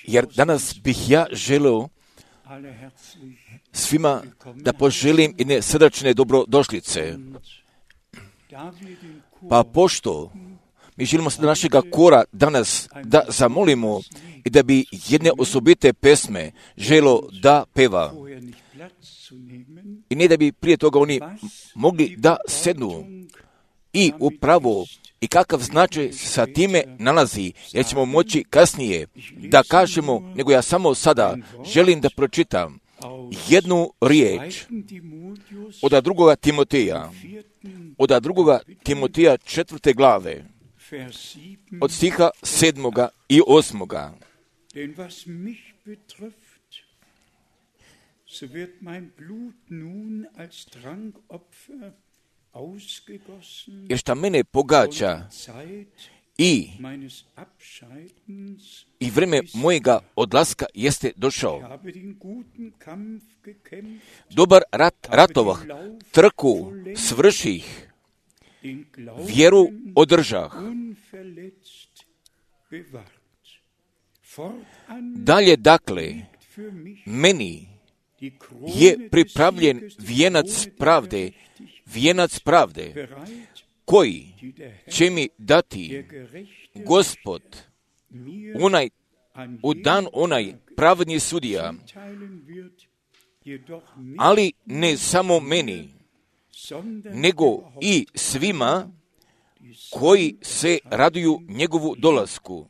Jer danas bih ja želeo svima da poželim jedne srdačne dobrodošlice. Pa pošto mi želimo sada našega kora danas da zamolimo i da bi jedne osobite pesme želo da peva. I ne da bi prije toga oni mogli da sednu i upravo i kakav značaj sa time nalazi, jer ćemo moći kasnije da kažemo, nego ja samo sada želim da pročitam jednu riječ od drugoga Timoteja, od drugoga Timoteja 4. glave, od stiha 7. i 8. Denn was mich betrifft, so wird mein Blut nun als Trankopfer ausgegossen, jer šta mene pogađa i vreme mojega odlaska jeste došao. Dobar rat ratovah, trku svrših, vjeru održah. Dalje dakle, meni je pripravljen vijenac pravde, koji će mi dati Gospod, u dan onaj pravedni sudija, ali ne samo meni, nego i svima koji se raduju njegovu dolasku.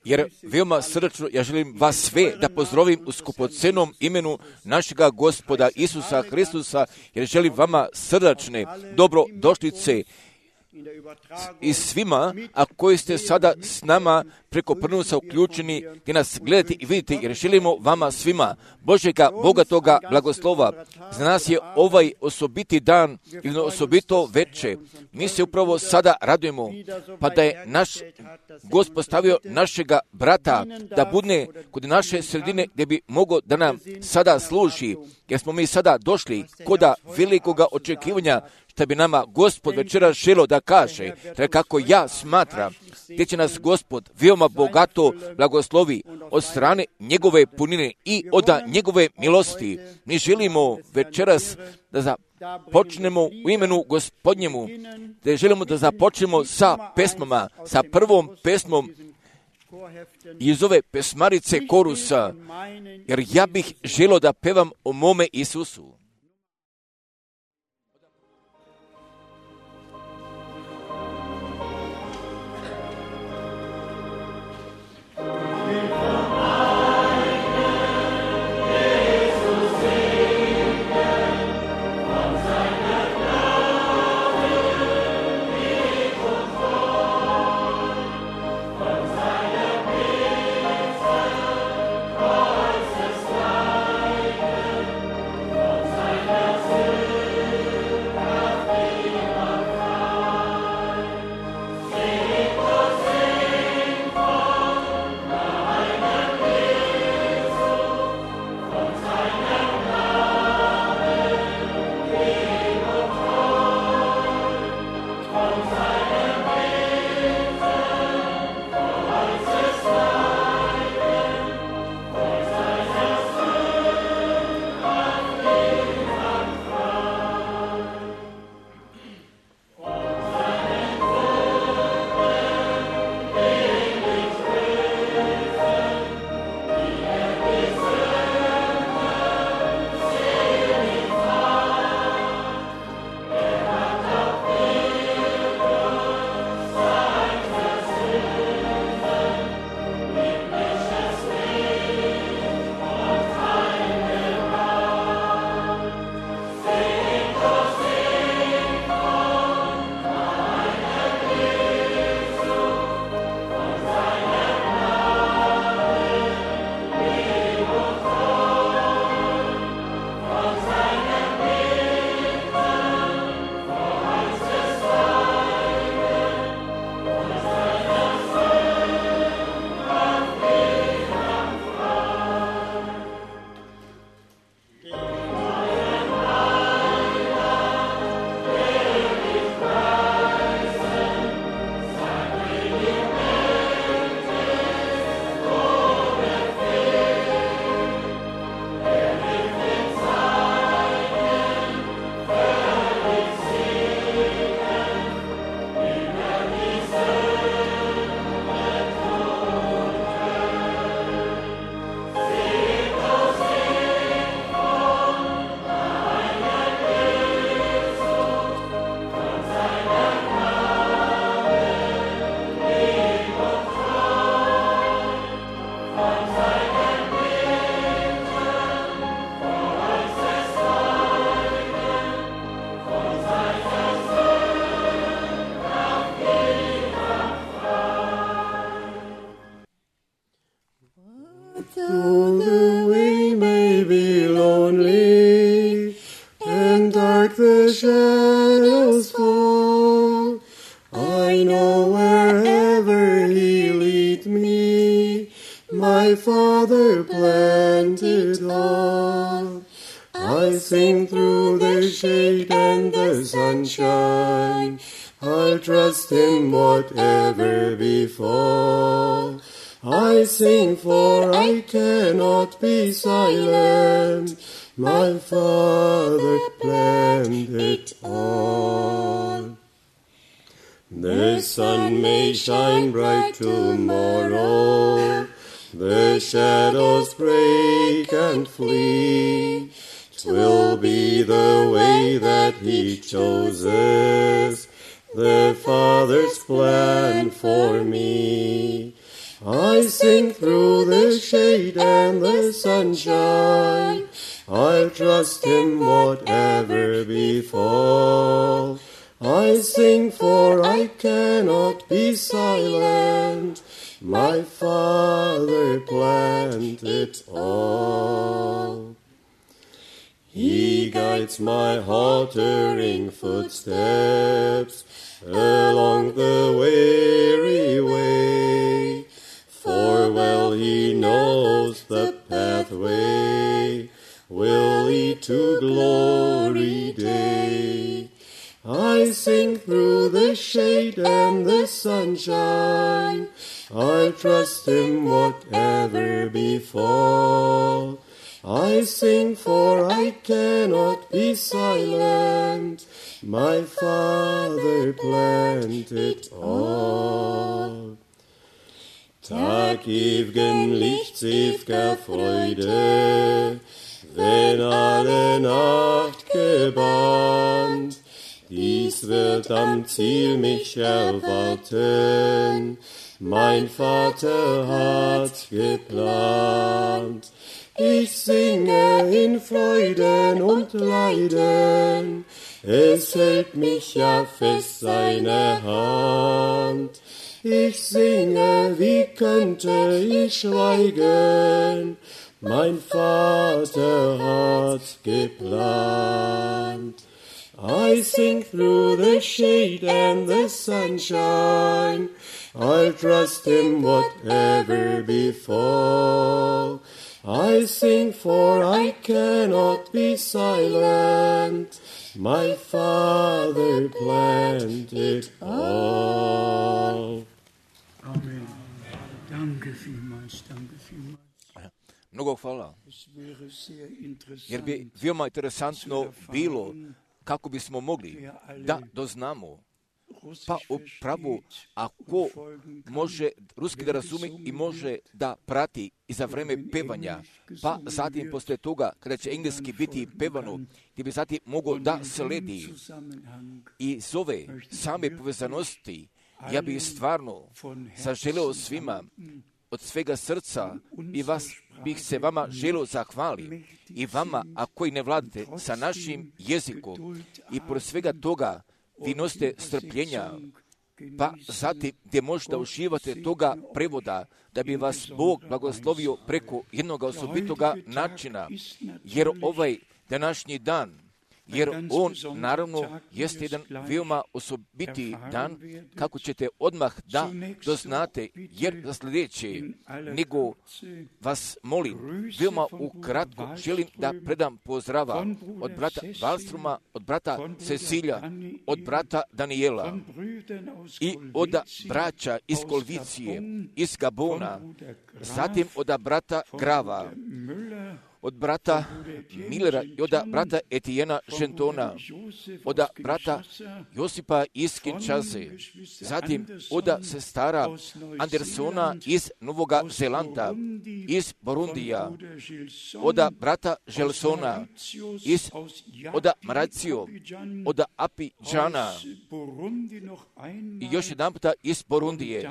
Jer veoma srdačno ja želim vas sve da pozdravim u skupocenom imenu našega Gospoda Isusa Hristusa, jer želim vama srdačne dobrodošlice i svima, a koji ste sada s nama preko prenosa uključeni, gdje nas gledate i vidite, jer želimo vama svima Božega bogatoga blagoslova. Za nas je ovaj osobiti dan ili osobito veče. Mi se upravo sada radujemo, pa da je naš Gospod stavio našega brata da bude kod naše sredine gdje bi mogao da nam sada služi, jer smo mi sada došli koda velikoga očekivanja što bi nama Gospod večera želo da kaže, kako ja smatram, gdje će nas Gospod veoma bogato blagoslovi od strane njegove punine i od njegove milosti. Mi želimo večeras da započnemo u imenu Gospodnjemu, da želimo da započnemo sa pesmama, sa prvom pesmom iz ove pesmarice korusa, jer ja bih želio da pevam o mome Isusu. shadows fall, I know wherever He lead me, my Father planted all. I sing through the shade and the sunshine, I'll trust Him whatever befall. I sing for I cannot be silent, my Father planned it all. The sun may shine bright tomorrow, the shadows break and flee, 'twill be the way that He chooses, the Father's plan for me. I sing through the shade and the sunshine. I'll trust Him whatever befall. I sing for I cannot be silent. My Father planned it all. He guides my faltering footsteps along the weary way, for well He knows the pathway will lead to glory day. I sing through the shade and the sunshine. I'll trust Him whatever befall. I sing for I cannot be silent. My Father planned it all. Tag ewigen Lichts, ewiger Freude, wenn alle Nacht gebannt. Dies wird am Ziel mich erwarten, mein Vater hat geplant. Ich singe in Freuden und Leiden, es hält mich ja fest seine Hand. Ich singe, wie könnte ich schweigen, mein Vater hat geplant. I sing through the shade and the sunshine, I'll trust Him whatever befall. I sing for I cannot be silent, my Father planned it all. Amen. Danke vielmals, danke vielmals. Mnogo hvala. Es wäre sehr Jer bi interessant veoma interesantno bilo kako bismo mogli da doznamo pa upravo ako može ruski da razumi i može da prati i za vreme pevanja, pa zatim posle toga kada će engleski biti pevano, gdje bi zatim mogao da sledi i iz ove same povezanosti, ja bih stvarno saželeo svima od svega srca i vas bih se vama želio zahvali i vama, a koji ne vladate sa našim jezikom i pored svega toga vi nosite strpljenja, pa zatim gdje možda uživate toga prevoda, da bi vas Bog blagoslovio preko jednog osobitoga načina, jer ovaj današnji dan, jer on naravno jeste jedan veoma osobiti dan, kako ćete odmah da doznate, jer za sljedeće, nego vas molim, veoma ukratko želim da predam pozdrava od brata Wallstroma, od brata Cecilija, od brata Daniela i od braća iz Kolvicije, iz Gabona, zatim od brata Grava, od brata Millera i od brata Etijena Žentona, od brata Josipa iz Kinshase, zatim od sestara Andersona iz Novoga Zelanda, iz Burundija, od brata Želsona, od Maracio, od Apidžana i još jedan puta iz Burundije,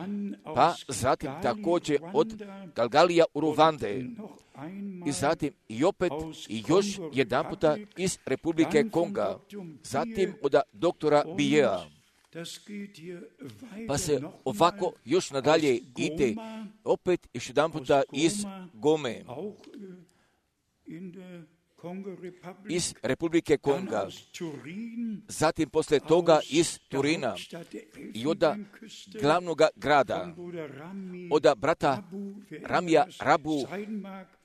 pa zatim također od Galgalija u Ruvande, i zatim i opet i još jedan puta iz Republike Konga, zatim od doktora Bijea. Pa se ovako još nadalje ide, opet još jedan puta iz Gome, iz Republike Konga, zatim posle toga iz Turina i od glavnog grada, od brata Ramija Rabu,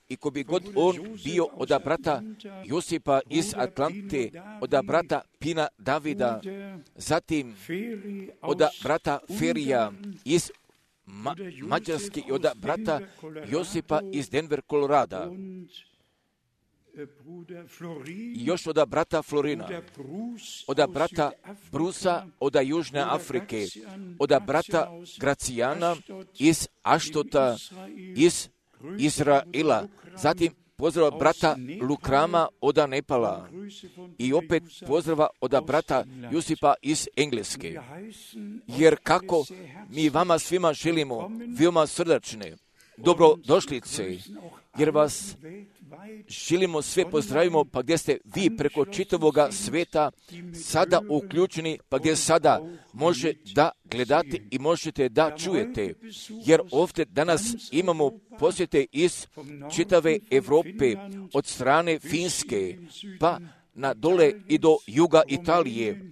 i ko bi god on bio od brata Josipa iz Atlante, od brata Pina Davida, zatim od brata Ferija iz Mađarske i od brata Josipa iz Denver, Kolorada, i još od brata Florina, od brata Brusa od Južne Afrike, od brata Gracijana iz Aštota, iz Izraela, zatim pozdrava brata Lukrama od Nepala i opet pozdrava od brata Josipa iz Engleske. Jer kako mi vama svima želimo veoma srdačne dobrodošlice, jer vas želimo sve pozdravimo, pa gdje ste vi preko čitavoga sveta sada uključeni, pa gdje sada može da gledate i možete da čujete, jer ovdje danas imamo posjete iz čitave Europe, od strane Finske, pa na dole i do juga Italije,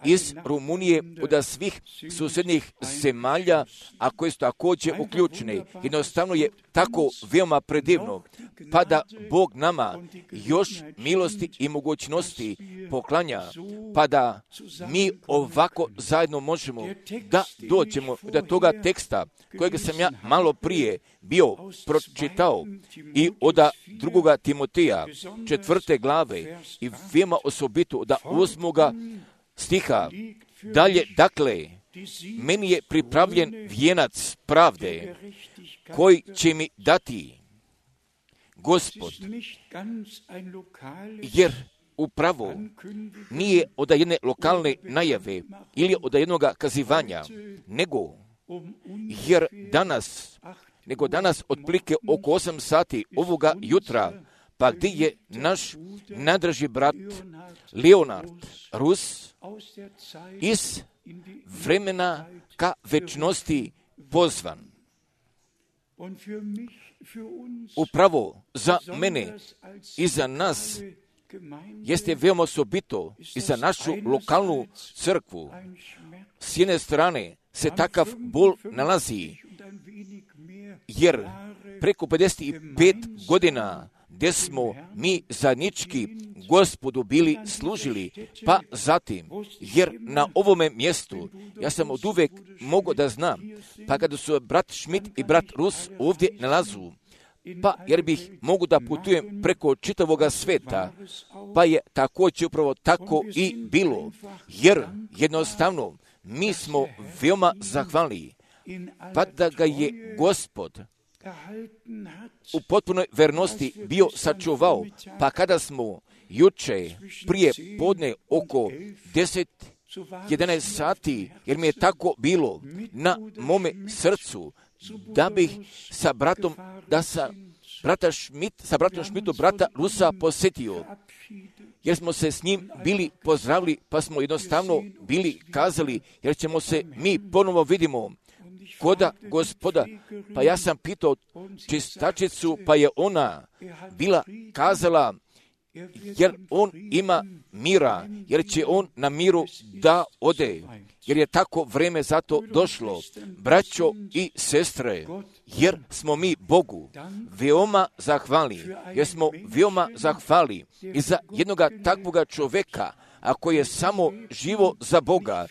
iz Rumunije, od svih susjednih zemalja, a koje su također uključene. Jednostavno je tako veoma predivno, pa da Bog nama još milosti i mogućnosti poklanja, pa da mi ovako zajedno možemo da dođemo do toga teksta kojeg sam ja malo prije bio pročitao i od 2. Timoteja 4. glave i veoma osobito od 8. stiha. Dalje, dakle, meni je pripravljen vijenac pravde koji će mi dati Gospod, jer upravo nije od jedne lokalne najave ili od jednog kazivanja, nego danas otprilike oko 8 sati ovoga jutra, pa gdje je naš nadraži brat Leonard Rus iz vremena ka večnosti pozvan. Upravo za mene i za nas jeste veoma osobito i za našu lokalnu crkvu. S jedne strane se takav bol nalazi, jer preko 55 godina gdje smo mi zajednički Gospodu bili služili, pa zatim, jer na ovome mjestu ja sam od uvek mogao da znam, pa kada su brat Schmidt i brat Rus ovdje nalazu, pa jer bih mogu da putujem preko čitavoga sveta, pa je također upravo tako i bilo, jer jednostavno mi smo veoma zahvalni, pa da ga je Gospod u potpunoj vernosti bio sačuvao, pa kada smo juče prije podne oko 10-11 sati, jer mi je tako bilo na mome srcu, da bih sa bratom Schmidtom brata Rusa posjetio, jer smo se s njim bili pozdravili, pa smo jednostavno bili kazali, jer ćemo se mi ponovo vidimo koda Gospoda, pa ja sam pitao čistačicu, pa je ona bila kazala, jer on ima mira, jer će on na miru da ode, jer je tako vreme zato došlo, braćo i sestre, jer smo mi Bogu veoma zahvali, jer smo veoma zahvali i za jednoga takvoga čoveka, ako je samo živo za Boga,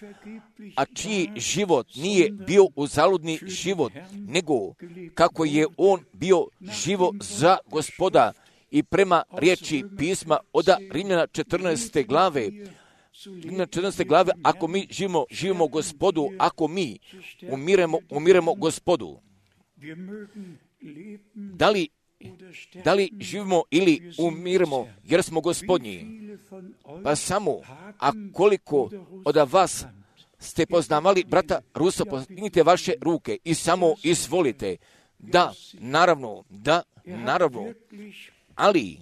a čiji život nije bio uzaludni život, nego kako je on bio živo za Gospoda i prema riječi pisma od Rimljana 14. glave, ako mi živimo Gospodu, ako mi umiremo Gospodu. Da li živimo ili umiremo jer smo Gospodnji? Pa samo, a koliko od vas ste poznavali brata Rusa, podignite vaše ruke i samo izvolite. Da, naravno, ali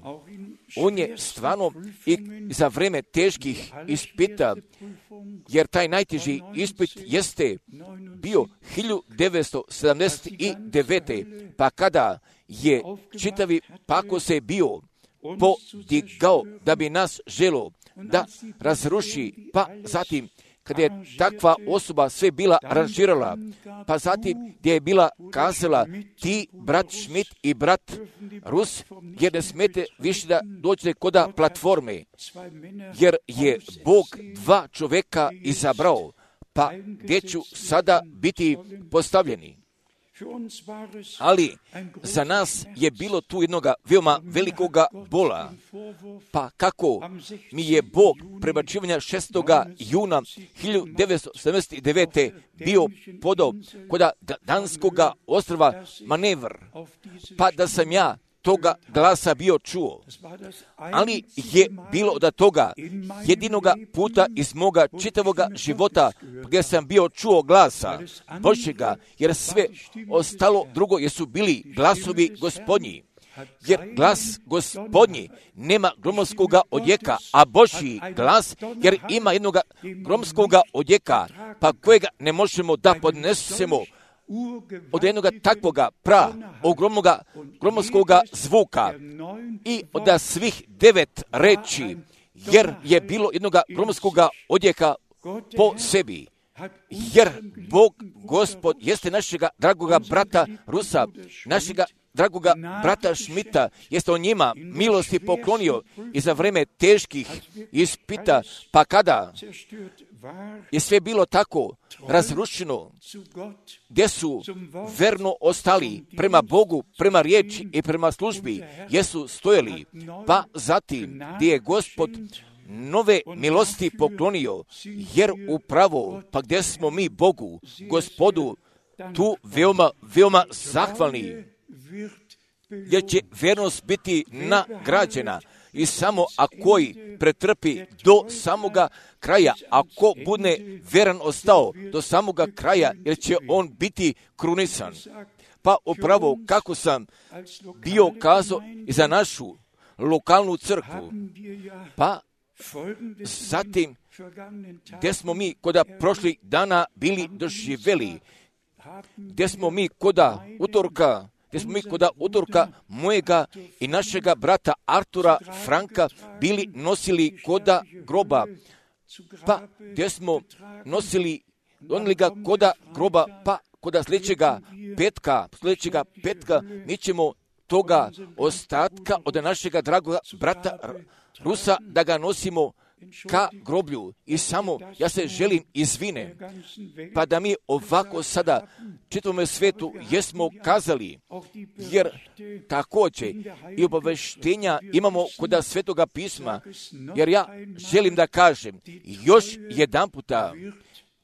on je stvarno i za vreme teških ispita, jer taj najteži ispit jeste bio 1979. pa kada je čitavi pako se bio podigao da bi nas želo da razruši, pa zatim kada je takva osoba sve bila aranžirala, pa zatim gdje je bila kazala, ti brat Schmidt i brat Rus, jer ne smete više da dođete koda platforme, jer je Bog 2 čovjeka izabrao, pa gdje ću sada biti postavljeni. Ali za nas je bilo tu jednoga veoma velikoga bola, pa kako mi je Bog prebacivanja 6. juna 1979. bio podao kod Danskoga ostrva manevr, pa da sam ja toga glasa bio čuo, ali je bilo od toga jedinoga puta iz moga čitavoga života gdje sam bio čuo glasa Božjega, jer sve ostalo drugo jesu bili glasovi Gospodnji. Jer glas Gospodnji nema gromskog odjeka, a Božji glas, jer ima jednog gromskog odjeka, pa kojega ne možemo da podnesemo od jednog takvoga ogromnoga gromskog zvuka i od svih 9 reči, jer je bilo jednog gromskog odjeka po sebi. Jer Bog, Gospod, jeste našega dragoga brata Rusa, našega dragoga brata Šmita, jeste on njima milosti poklonio i za vreme teških ispita, pa kada je sve bilo tako razrušeno, gdje su verno ostali prema Bogu, prema riječi i prema službi, jesu stojali, pa zatim gdje je Gospod nove milosti poklonio, jer upravo, pa gdje smo mi Bogu, Gospodu, tu veoma zahvalni, jer će vernost biti nagrađena i samo ako pretrpi do samoga kraja, ako bude veran ostao do samoga kraja, jer će on biti krunisan. Pa upravo kako sam bio kazao i za našu lokalnu crkvu, pa zatim gdje smo mi koda prošlih dana bili doživjeli, gdje smo mi koda utorka mojega i našega brata Artura Franka bili nosili koda groba, pa gdje smo donili ga koda groba, pa koda sljedećega petka mi ćemo toga ostatka od našega dragoga brata Rusa da ga nosimo ka groblju. I samo ja se želim izvine, pa da mi ovako sada čitavome svetu jesmo kazali, jer također i obaveštenja imamo kod Svetoga pisma, jer ja želim da kažem još jedan puta,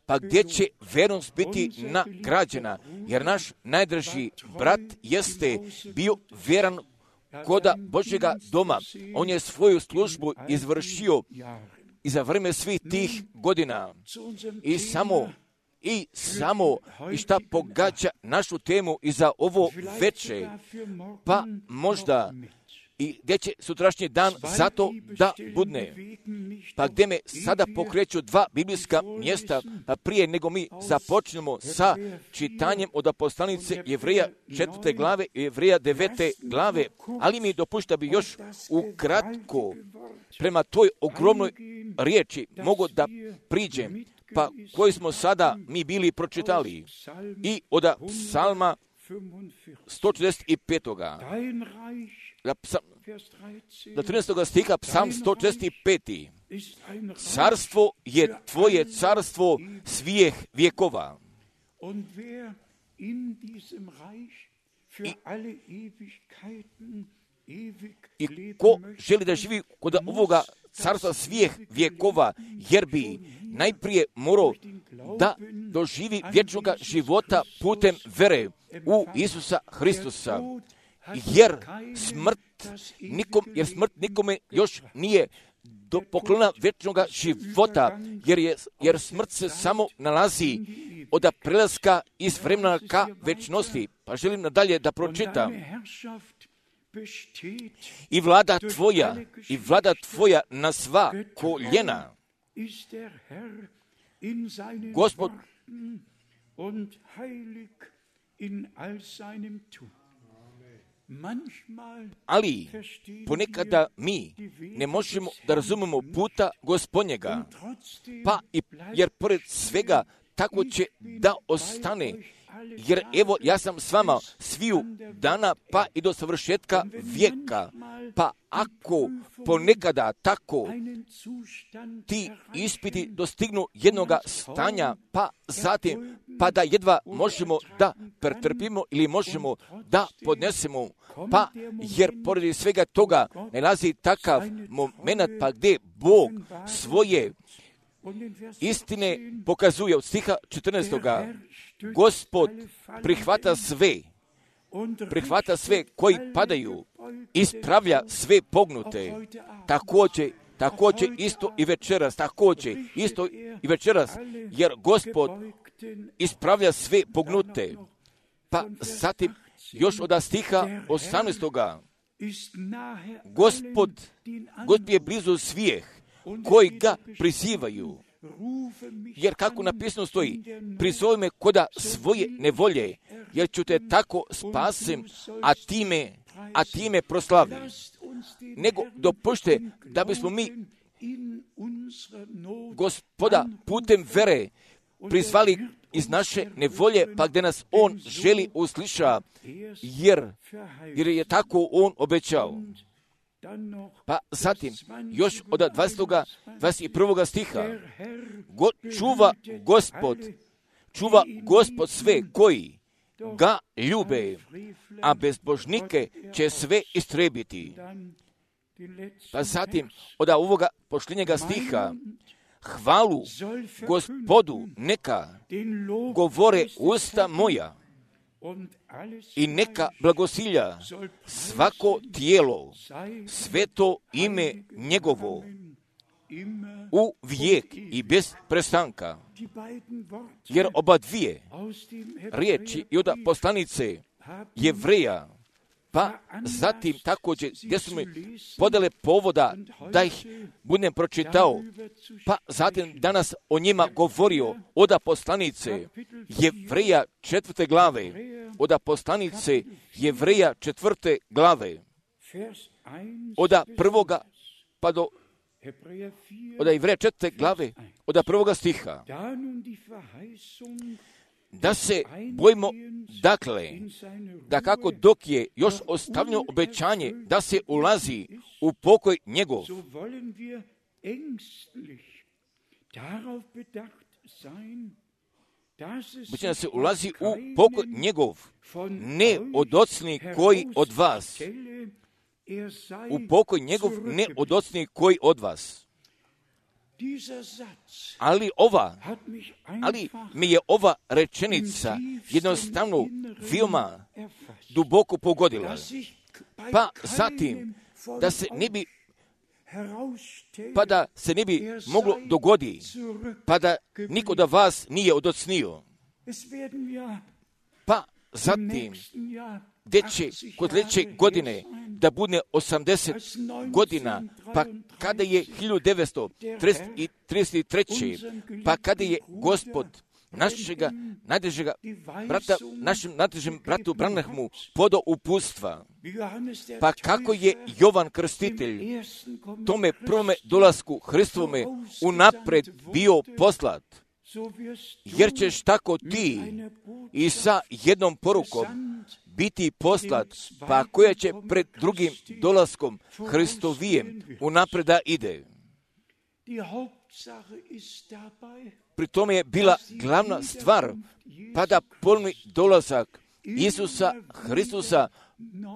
pa gdje će vernost biti nagrađena, jer naš najdraži brat jeste bio veran koda Božjega doma. On je svoju službu izvršio i za vreme svih tih godina. I šta pogađa našu temu i za ovo veče, pa možda i gdje će sutrašnji dan zato da budne. Pa gdje me sada pokreću 2 biblijska mjesta, pa prije nego mi započnemo sa čitanjem od poslanice Jevreja 4. glave i Jevreja 9. glave, ali mi dopušta bi još ukratko prema toj ogromnoj riječi mogu da priđem, pa koji smo sada mi bili pročitali i od psalma 145. Do 13. stiha, psalm 145. Carstvo je tvoje carstvo svih vjekova. I ko želi da živi kod ovoga carstva svih vjekova, jer bi najprije morao da doživi vječnoga života putem vere u Isusa Hristusa. Jer smrt nikome još nije poklona vječnoga života, jer smrt se samo nalazi od prelaska iz vremena ka večnosti. Pa želim nadalje da pročitam. I vlada tvoja na sva koljena. Gospod ali ponekada mi ne možemo da razumemo puta Gospodnjega, pa jer pored svega tako će da ostane, jer evo ja sam s vama sviju dana pa i do savršetka vijeka. Pa ako ponekada tako ti ispiti dostignu jednoga stanja, pa zatim pa da jedva možemo da pretrpimo ili možemo da podnesemo, pa jer pored svega toga nalazi takav moment pa gdje Bog svoje istine pokazuje od stiha 14. Gospod prihvata sve prihvata sve koji padaju, ispravlja sve pognute. Također isto i večeras, jer Gospod ispravlja sve pognute. Pa zatim još od stiha 18. Gospod je blizu svih koji ga prizivaju. Jer kako napisano stoji, prizovi me koda svoje nevolje, jer ću te tako spasim, a time proslavim. Nego dopušte da bismo mi Gospoda putem vere prizvali iz naše nevolje, pa gdje nas On želi usliša, jer je tako On obećao. Pa zatim, još od 21. stiha, čuva Gospod sve koji ga ljube, a bezbožnike će sve istrebiti. Pa zatim, od ovoga posljednjega stiha, hvalu Gospodu neka govore usta moja i neka blagosilja svako tijelo, sveto ime njegovo, u vijek i bez prestanka. Jer oba dvije riječi i od poslanice Jevreja, pa zatim također gdje su mi podale povoda da ih budem pročitao, pa zatim danas o njima govorio od poslanice Jevreja 4. glave, od poslanice Jevreja 4. glave, od prvoga pa do od Jevreja 4. glave, od 1. stiha. Da se bojimo, dakle, da kako dok je još ostavljeno obećanje da se ulazi u pokoj njegov, da se ulazi u pokoj njegov, ne od ocni koji od vas, u pokoj njegov ne od ocni koji od vas. Ali mi je ova rečenica jednostavno veoma duboko pogodila. Pa zatim, da se ne bi moglo dogodi, pa da niko da vas nije odocnio. Pa zatim, gdje će kod sljedeće godine da bude 80 godina, pa kada je 1933. pa kada je Gospod našega najdražega brata, našem najdražem bratu Branahmu podao uputstva, pa kako je Jovan Krstitelj tome prvome dolasku Hristovome unapred bio poslat, jer ćeš tako ti i sa jednom porukom biti poslat, pa koja će pred drugim dolaskom Hristovijem unapred da ide. Pri tome je bila glavna stvar, pa da ponovni dolazak Isusa Hristusa,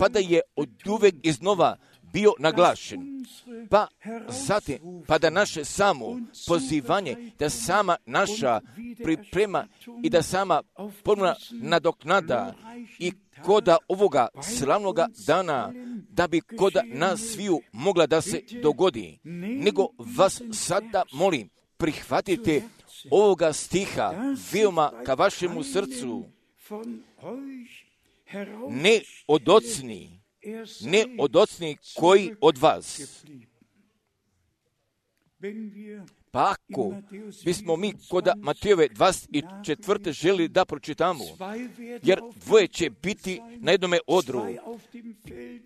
pa da je oduvek iznova bio naglašen. Pa zatim, pa da naše samo pozivanje, da sama naša priprema i da sama ponovna nadoknada i koda ovoga slavnoga dana, da bi koda nas sviju mogla da se dogodi. Nego vas sada molim, prihvatite ovoga stiha veoma ka vašemu srcu. Ne od ocni koji od vas. Pa ako bismo mi kod Matejove 24. želi da pročitamo, jer dvoje će biti na jednome odru,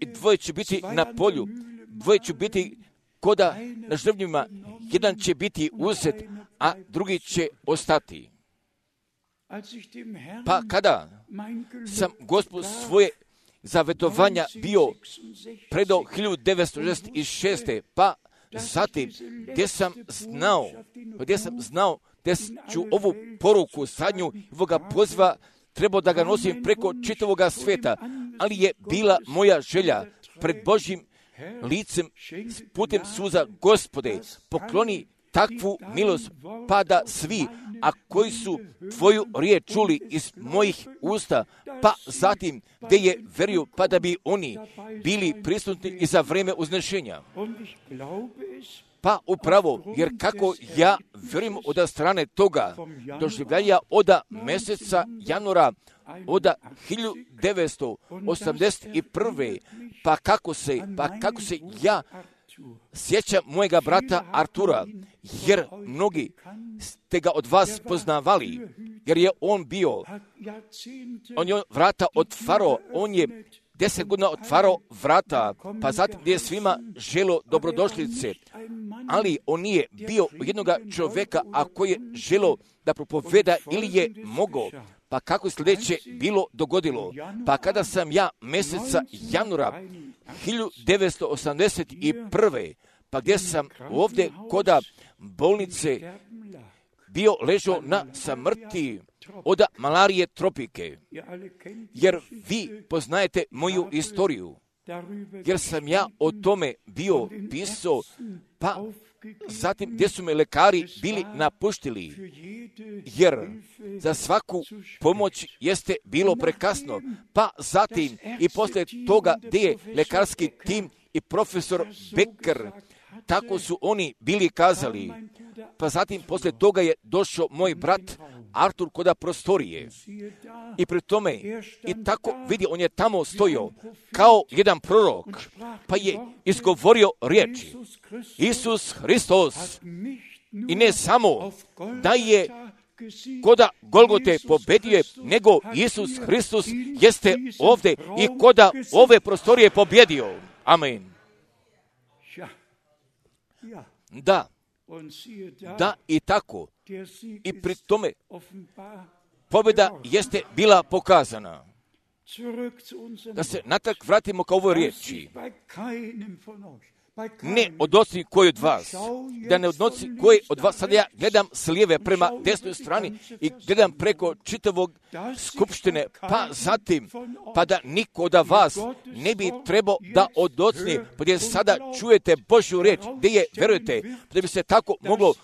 i dvoje će biti na polju, dvoje će biti koda na žrvnjima, jedan će biti uzet, a drugi će ostati. Pa kada sam Gospod svoje zavetovanja bio predao 1966. pa zatim gdje sam znao da ću ovu poruku sadnju ovoga poziva trebao da ga nosim preko čitavoga sveta, ali je bila moja želja pred Božjim licem putem suza, Gospode, pokloni takvu milost, pa da svi, a koji su tvoju riječ čuli iz mojih usta, pa zatim gdje je verio, pa da bi oni bili prisutni i za vrijeme uznešenja. Pa upravo, jer kako ja vjerujem od strane toga doživljaja od mjeseca januara od 1981. Pa kako se ja sjećam mojega brata Artura, jer mnogi ste ga od vas poznavali, jer je on je vrata otvarao, on je 10 godina otvarao vrata, pa zatim gdje je svima želo dobrodošlice, ali on nije bio jednoga čovjeka, a koji je želo da propoveda ili je mogao. Pa kako je sljedeće bilo dogodilo? Pa kada sam ja mjeseca januara 1981. pa gdje sam ovdje kod bolnice bio ležao na samrti od malarije tropike, jer vi poznajete moju istoriju, jer sam ja o tome bio pisao, pa zatim gdje su me lekari bili napuštili, jer za svaku pomoć jeste bilo prekasno, pa zatim i poslije toga gdje je lekarski tim i profesor Becker, tako su oni bili kazali, pa zatim poslije toga je došao moj brat Artur kod prostorije i pri tome i tako vidi, on je tamo stojao kao jedan prorok, pa je izgovorio riječi Isus Hristos, i ne samo da je koda Golgote pobedio, nego Isus Hristos jeste ovdje i koda ove prostorije pobjedio. Amen. Da i tako. I pri tome pobjeda jeste bila pokazana. Da se natrag vratimo ka ovoj riječi. Ne odnosi koji od vas, da ne odnosi koji od vas, sad ja gledam s lijeve prema desnoj strani i gledam preko čitavog skupštine, pa zatim, pa da niko od vas ne bi trebao da odocni, pa gdje sada čujete Božju riječ, gdje je, verujete, da bi se tako moglo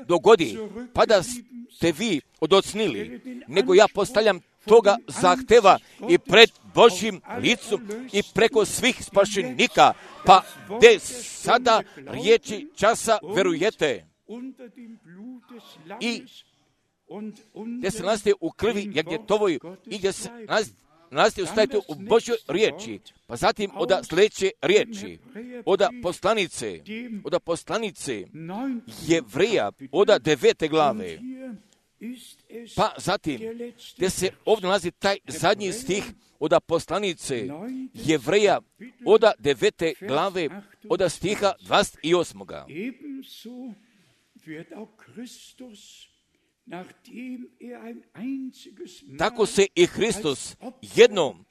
dogodi, pa da ste vi odocnili, nego ja postavljam toga zahteva i pred Božjim licom i preko svih spašenika, pa gdje sada riječi časa verujete i gdje se nalazite u krvi jagnjetovoj i gdje se nalazite ustajete u Božjoj riječi, pa zatim od sljedeće riječi, od poslanice Jevreja, od 9. glave, pa zatim, gdje se ovdje nalazi taj zadnji stih od poslanice Jevreja od 9. glave od stiha 28. Tako se i Hristos jednom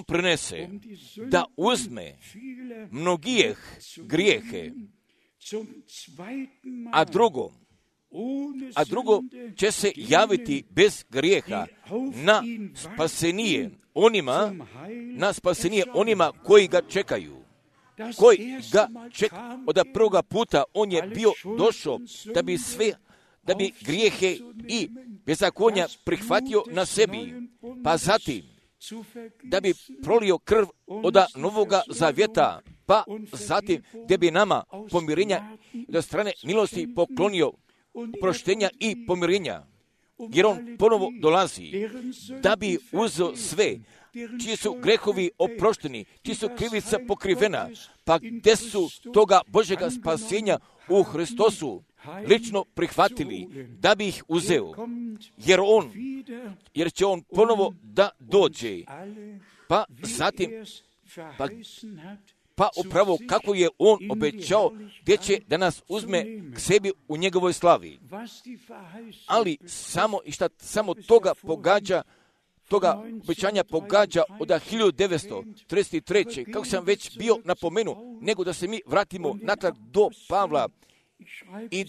prinese da uzme mnogijeh grijehe, a drugo će se javiti bez grijeha na spasenije onima koji ga čekaju. Od prvoga puta on je bio došao da bi grijehe i bezakonja prihvatio na sebi, pa zatim da bi prolio krv od Novoga Zavjeta, pa zatim da bi nama pomirenja od strane milosti poklonio proštenja i pomirenja, jer on ponovo dolazi da bi uzeo sve čiji su grehovi oprošteni, čiji su krivica pokrivena, pa gdje su toga Božjega spasenja u Hristosu lično prihvatili, da bi ih uzeo, jer će on ponovo da dođe, pa zatim, pa upravo kako je on obećao, gdje će da nas uzme k sebi u njegovoj slavi. Ali samo toga obećanja pogađa od 1933. kako sam već bio napomenuo, nego da se mi vratimo natrag do Pavla i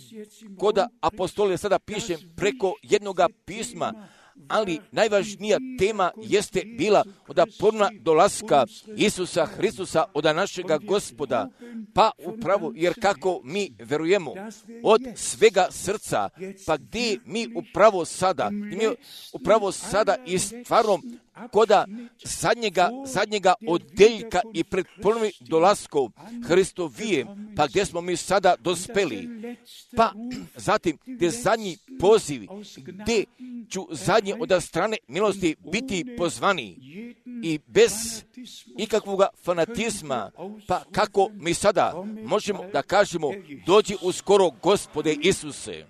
kod apostole sada pišem preko jednoga pisma, ali najvažnija tema jeste bila od ponovnog dolaska Isusa Hristusa, od našega Gospoda. Pa upravo, jer kako mi verujemo od svega srca, pa gdje mi upravo sada i stvarno koda zadnjega odeljka i pred ponovnim dolaskom Hristovije, pa gdje smo mi sada dospeli. Pa zatim gdje zadnji poziv, gdje ću zadnji od strane milosti biti pozvani i bez ikakvog fanatizma, pa kako mi sada možemo da kažemo dođi uskoro Gospode Isuse.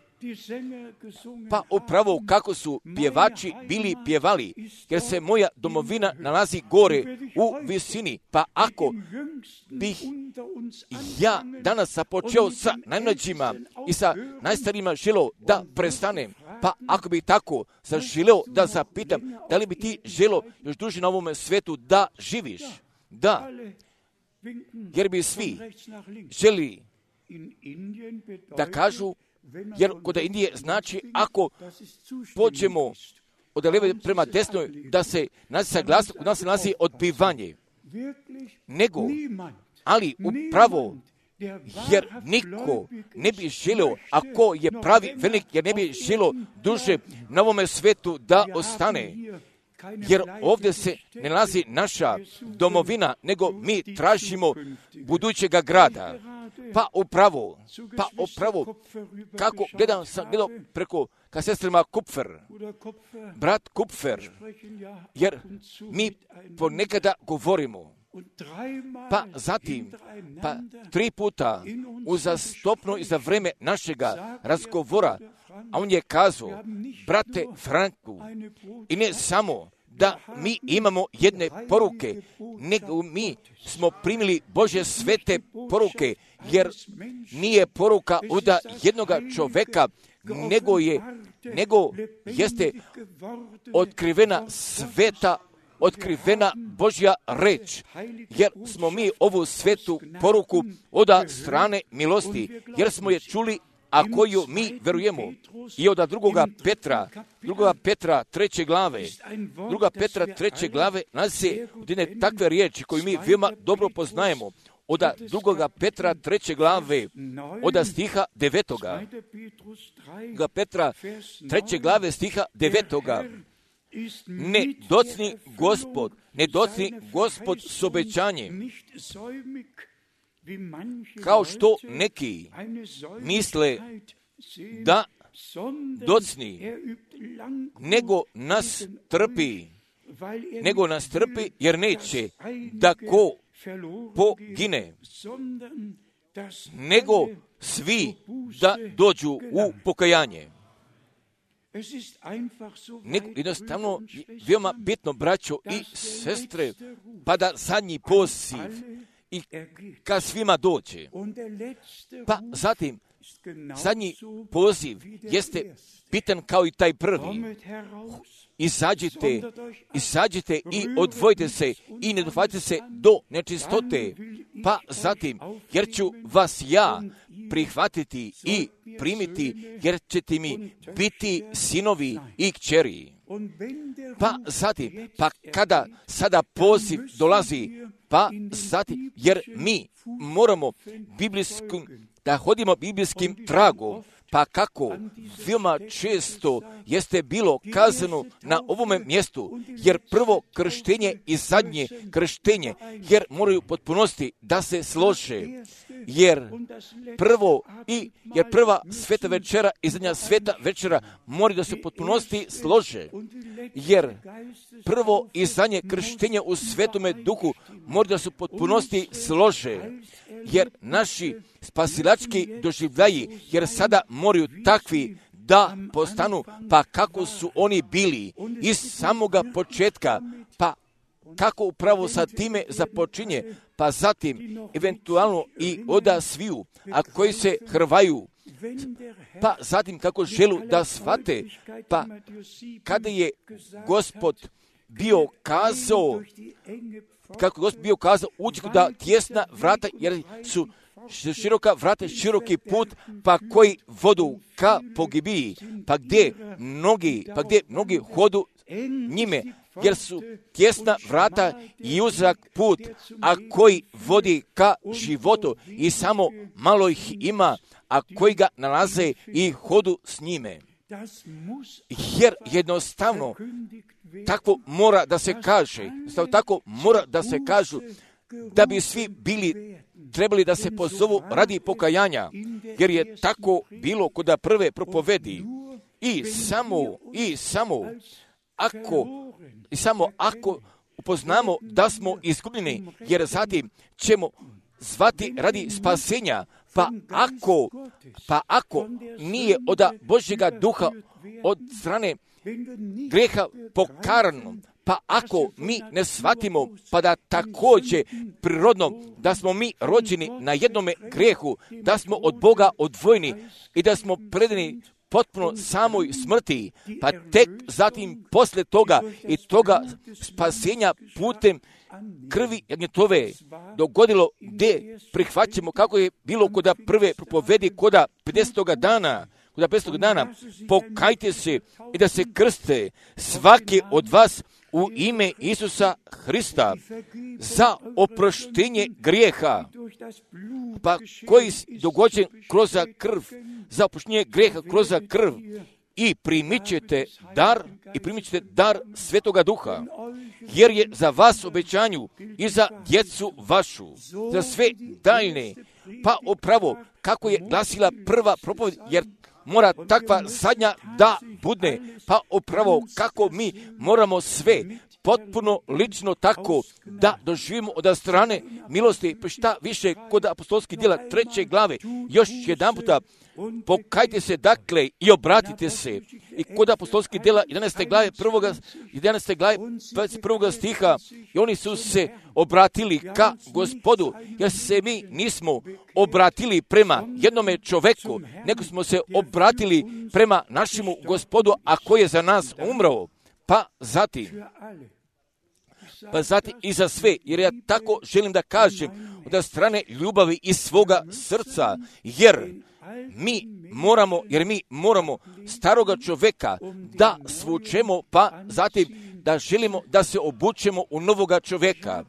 Pa upravo kako su pjevači bili pjevali, jer se moja domovina nalazi gore u visini. Pa ako bih ja danas započeo sa najmlađima i sa najstarijima želeo da prestanem, pa ako bih tako zaželeo da zapitam, da li bi ti želeo još duže na ovome svetu da živiš? Da, jer bi svi želi da kažu, jer kod Indije znači ako pođemo od leve prema desnoj, da se u nas nalazi odbivanje. Nego, ali upravo, jer niko ne bi želio, ako je pravi velik, jer ne bi želio duže na ovome svetu da ostane. Jer ovdje se ne nalazi naša domovina, nego mi tražimo budućega grada. Pa upravo, kako sam gledao preko ka sestrima Kupfer, brat Kupfer, jer mi ponekada govorimo, pa zatim, 3 puta uzastopno i za vreme našega razgovora, a on je kazao, brate Franku, i ne samo da mi imamo jedne poruke, nego mi smo primili Božje svete poruke, jer nije poruka od jednoga čoveka, nego jeste otkrivena Božja reč, jer smo mi ovu svetu poruku od strane milosti, jer smo je čuli, a koju mi verujemo. I od drugoga Petra 3. glave nalazi se jedne takve riječi koju mi veoma dobro poznajemo. Od drugoga Petra 3. glave, od stiha 9. Petra 3. glave stiha 9. Ne docni Gospod s obećanjem, kao što neki misle da docni, nego nas trpi, jer neće da ko pogine, nego svi da dođu u pokajanje. Jednostavno, veoma bitno, braćo i sestre, pa da zadnji poziv i kad svima dođe. Pa zatim, zadnji poziv jeste bitan kao i taj prvi. Izađite i odvojite se i ne dohvatite se do nečistote. Pa zatim, jer ću vas ja prihvatiti i primiti, jer ćete mi biti sinovi i kćeri. Pa zatim, kada sada poziv dolazi, pa zatim, jer mi moramo da hodimo biblijskim tragom, pa kako veoma često jeste bilo kazano na ovome mjestu, jer prvo krštenje i zadnje krštenje, jer moraju potpunosti da se slože, jer prva sveta večera i zadnja sveta večera moraju da se potpunosti slože, jer prvo i zadnje krštenje u Svetome Duhu moraju da se potpunosti slože, jer naši spasilački doživljaji, jer sada moraju takvi da postanu, pa kako su oni bili iz samoga početka, pa kako upravo sa time započinje, pa zatim eventualno i oda sviju, a koji se hrvaju, pa zatim kako želu da shvate, pa kada je Gospod bio kazao, uđi da tjesna vrata, jer su široka vrata, široki put, pa koji vodu ka pogibiji, pa gdje mnogi hodu njime, jer su tjesna vrata i uzak put, a koji vodi ka životu i samo malo ih ima, a koji ga nalaze i hodu s njime. Jer jednostavno tako mora da se kaže, tako mora da se kažu, da bi svi trebali da se pozovu radi pokajanja, jer je tako bilo kod prve propovedi. I samo ako upoznamo da smo izgubljeni, jer zatim ćemo zvati radi spasenja, pa ako nije od Božjega duha, od strane greha pokarano, pa ako mi ne shvatimo, pa da također prirodno da smo mi rođeni na jednome grehu, da smo od Boga odvojeni i da smo predani potpuno samoj smrti, pa tek zatim poslije toga i toga spasenja putem krvi jagnjetove dogodilo gdje prihvaćamo, kako je bilo kod prve propovedi, kod 50. dana, pokajte se i da se krste svaki od vas u ime Isusa Hrista za oproštenje grijeha, pa koji dogođen kroz krv, za oproštenje grijeha kroz krv, i primit ćete dar Svetoga Duha, jer je za vas obećanju i za djecu vašu, za sve daljne, pa upravo kako je glasila prva propoved, jer mora takva zadnja da bude, pa upravo kako mi moramo sve potpuno lično tako da doživimo od strane milosti, pa šta više kod apostolskih djela 3. glave, još jedan puta pokajte se dakle i obratite se. I kod apostolskih djela 11. glave 21. stiha, i oni su se obratili ka Gospodu, jer se mi nismo obratili prema jednome čoveku, nego smo se obratili prema našemu Gospodu, a koji je za nas umrao. Pa zatim i za sve, jer ja tako želim da kažem od strane ljubavi iz svoga srca, jer mi moramo staroga čoveka da svučemo, pa zatim da želimo da se obučemo u novoga čoveka.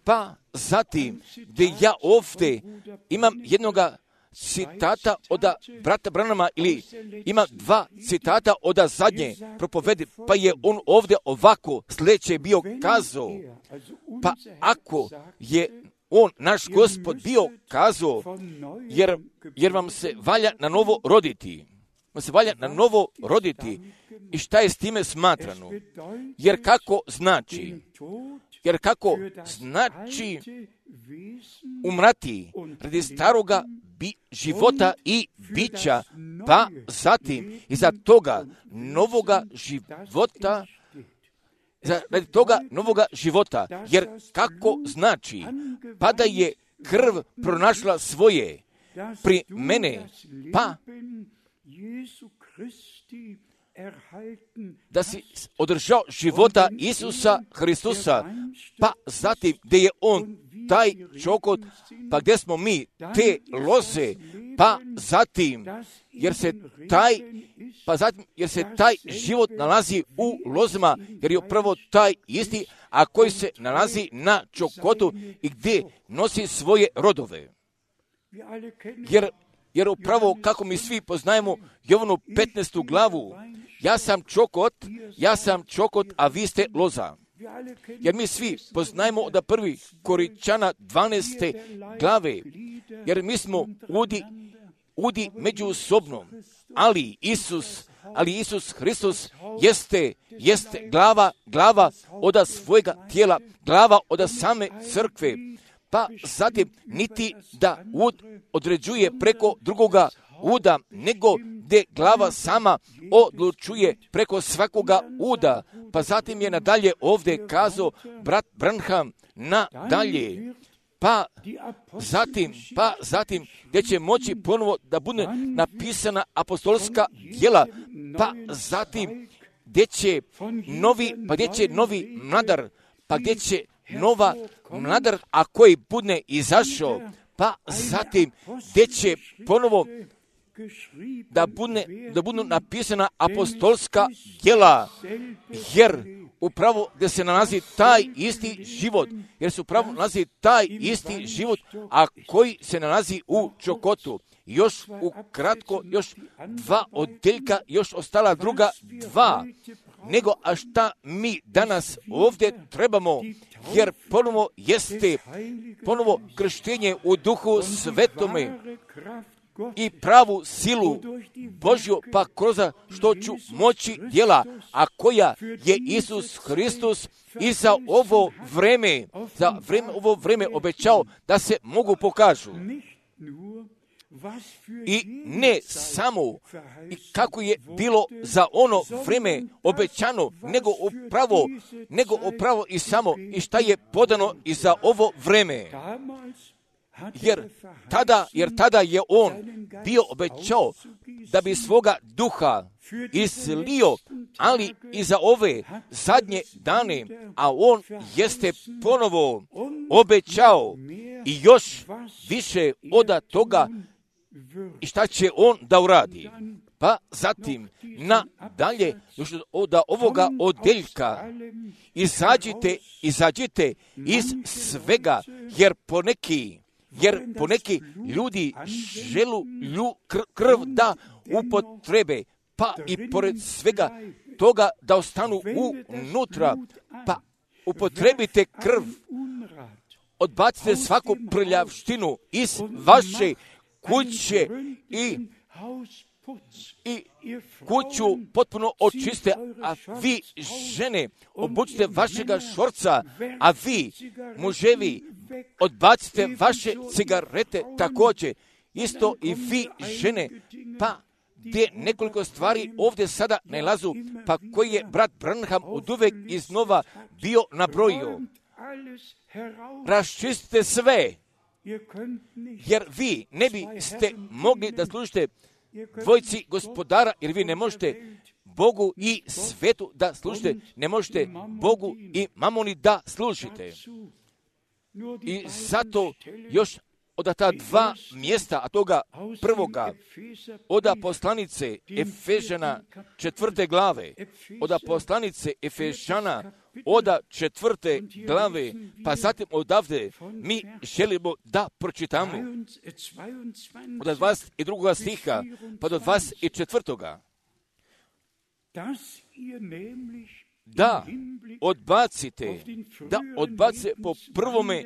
Pa zatim, gdje ja ovdje imam jednoga citata od brata Branhama, ili ima 2 citata od zadnje propovedi, pa je on ovdje ovako sljedeće bio kazao, pa ako je on, naš Gospod, bio kazao, jer vam se valja na novo roditi, i šta je s time smatrano? Jer kako znači umrati radi staroga života i bića, pa zatim iza toga novoga života, jer kako znači, pa da je krv pronašla svoje pri mene, pa da si održao života Isusa Hristusa, pa zatim gdje je on taj čokot, pa gdje smo mi te loze, pa zatim jer se taj život nalazi u lozama, jer je upravo taj isti, a koji se nalazi na čokotu i gdje nosi svoje rodove. Jer upravo kako mi svi poznajemo Jovanu 15. glavu, ja sam čokot, a vi ste loza. Jer mi svi poznajemo od prvi Korinčana 12. glave, jer mi smo udi međusobno, ali Isus Hristos jeste glava od svojega tijela, glava od same crkve, pa zatim niti da ud određuje preko drugoga uda, nego gdje glava sama odlučuje preko svakoga uda. Pa zatim je nadalje ovdje kazao brat Branham nadalje. Pa zatim gdje će moći ponovo da bude napisana apostolska djela, pa zatim gdje će novi mladar, pa gdje će nova mladar, a koji bude izašao, pa zatim gdje će ponovo da budu napisana apostolska djela, jer upravo gdje se nalazi taj isti život, jer se upravo nalazi taj isti život, a koji se nalazi u Čokotu. Još ukratko, još 2 odjeljka, još ostala druga 2. Nego, a šta mi danas ovdje trebamo, jer ponovo jeste ponovo krštenje u Duhu Svetome i pravu silu Božju, pa kroz što ću moći djela, a koja je Isus Hristos i za ovo vreme obećao da se mogu pokažu. I ne samo kako je bilo za ono vreme obećano, nego upravo i samo i šta je podano i za ovo vreme. Jer tada je on bio obećao da bi svoga duha izlio, ali i za ove zadnje dane, a on jeste ponovo obećao i još više od toga i šta će on da uradi. Pa zatim nadalje, još od ovoga odjeljka, izađite iz svega, jer poneki ljudi želu krv da upotrebe, pa i pored svega toga da ostanu unutra, pa upotrebite krv, odbacite svaku prljavštinu iz vaše kuće i kuću potpuno očiste, a vi žene obučite vašega šorca, a vi muževi odbacite vaše cigarete također, isto i vi žene, pa gdje nekoliko stvari ovdje sada nalazu, pa koji je brat Branham oduvek iznova bio nabrojio. Raščistite sve, jer vi ne biste mogli da služite dvojci gospodara, jer vi ne možete Bogu i svetu da služite, ne možete Bogu i mamoni da služite. I zato još od ta 2 mjesta, a toga prvoga, od poslanice Efežana 4. glave, od poslanice Efežana od 4. glave, pa zatim odavde mi želimo da pročitamo od 22. stiha pa do 24. Da odbacite po prvome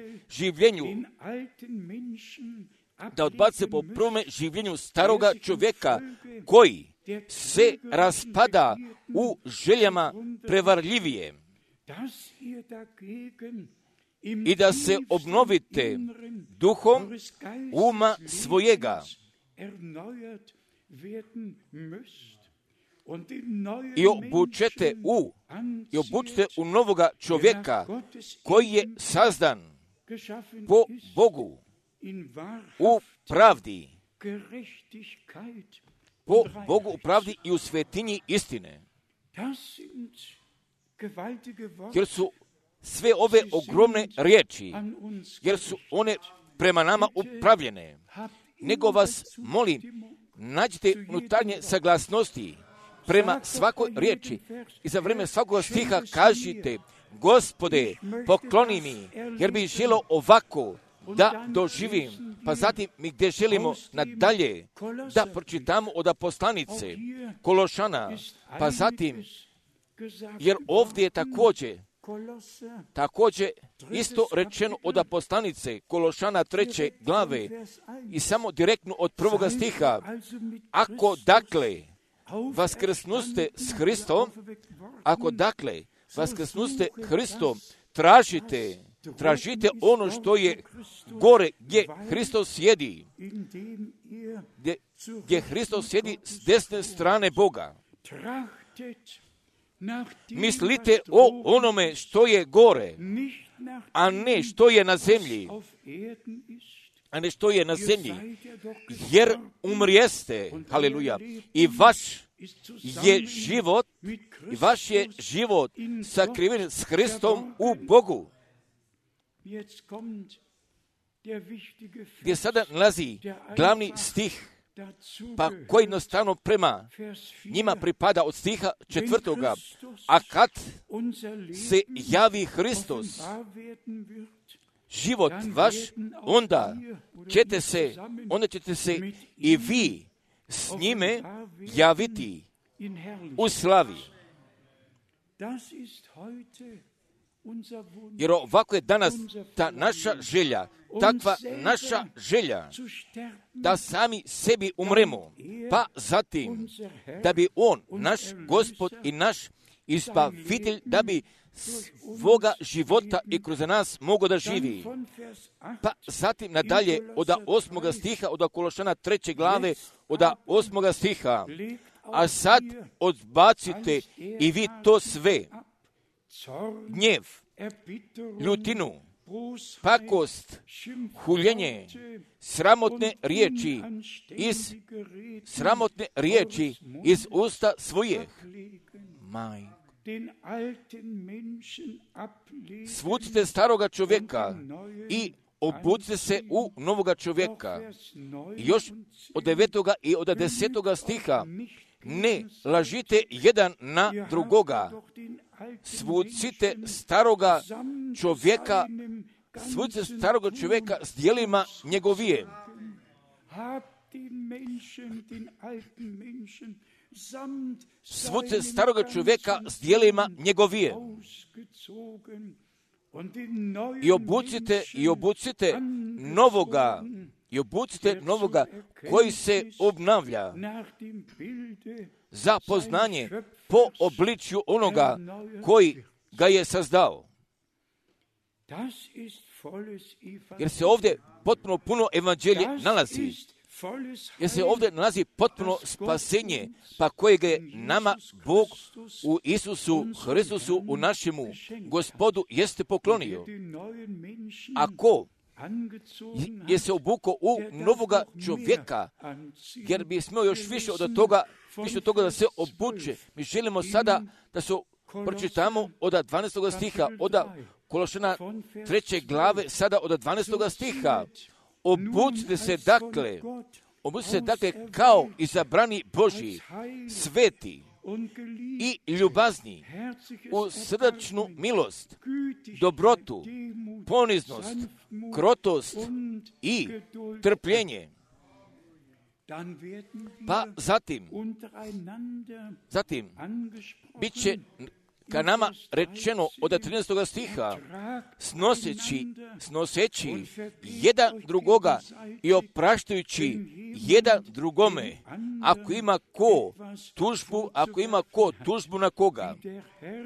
življenju staroga čovjeka koji se raspada u željama prevarljivije i da se obnovite duhom uma svojega i obučete u novoga čovjeka koji je sazdan po Bogu u pravdi, i u svetinji istine. Jer su sve ove ogromne riječi, jer su one prema nama upravljene. Nego vas molim, nađite unutarnje saglasnosti prema svakoj riječi i za vrijeme svakog stiha kažite: Gospode, pokloni mi, jer bi želio ovako da doživim. Pa zatim mi gdje želimo nadalje da pročitamo od poslanice Kološana, pa zatim, jer ovdje je također isto rečeno od poslanice Kološana 3. glave i samo direktno od 1. stiha. Ako dakle vaskrsnuste s Hristom, tražite ono što je gore, gdje Hristos sjedi, gdje Hristos sjedi s desne strane Boga. Mislite o onome što je gore, a ne što je na zemlji. Jer umrijeste, haleluja, i vaš je život sakriven s Hristom u Bogu. gdje sada nalazi glavni stih, pa koji jednostavno prema njima pripada od stiha 4. A kad se javi Hristos, život vaš, onda ćete se i vi s njime javiti u slavi. Jer ovako je danas ta naša želja, takva naša želja, da sami sebi umremo, pa zatim da bi On, naš Gospod i naš Izbavitelj, da bi svoga života i kroz nas mogo da živi. Pa zatim nadalje od 8. stiha, od Kološana 3. glave, od 8. stiha, a sad odbacite i vi to sve, gnjev, ljutinu, pakost, huljenje, sramotne riječi iz usta svojih. Svucite staroga čovjeka i obucite se u novoga čovjeka. Još od 9. i od 10. stiha, ne lažite jedan na drugoga. Svucite staroga čovjeka s djelima njegovije. Svucite staroga čovjeka s djelima njegovije. I obucite novoga koji se obnavlja za poznanje po obličju onoga koji ga je sazdao. Jer se ovdje potpuno puno evanđelje nalazi. Jer se ovdje nalazi potpuno spasenje, pa kojeg je nama Bog u Isusu Hristusu, u našemu Gospodu, jeste poklonio. Ako je se obukao u novoga čovjeka, jer bi smio još više od toga da se obuče. Mi želimo sada da se pročitamo od 12. stiha, od Kološana 3. glave, sada od 12. stiha. Obucite se dakle kao izabrani Božji, sveti i ljubazni, u srdačnu milost, dobrotu, poniznost, krotost i trpljenje. Pa zatim bit će ka nama rečeno od 13. stiha, snoseći jedan drugoga i opraštajući jedan drugome, ako ima ko tužbu na koga,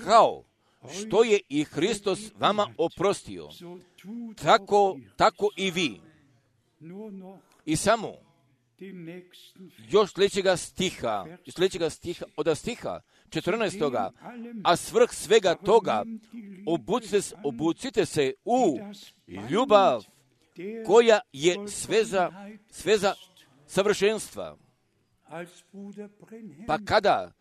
kao što je i Hristos vama oprostio, tako i vi. I samo još sljedećega stiha, od stiha 14. A svrh svega toga obucite se u ljubav koja je sveza savršenstva. Pa kada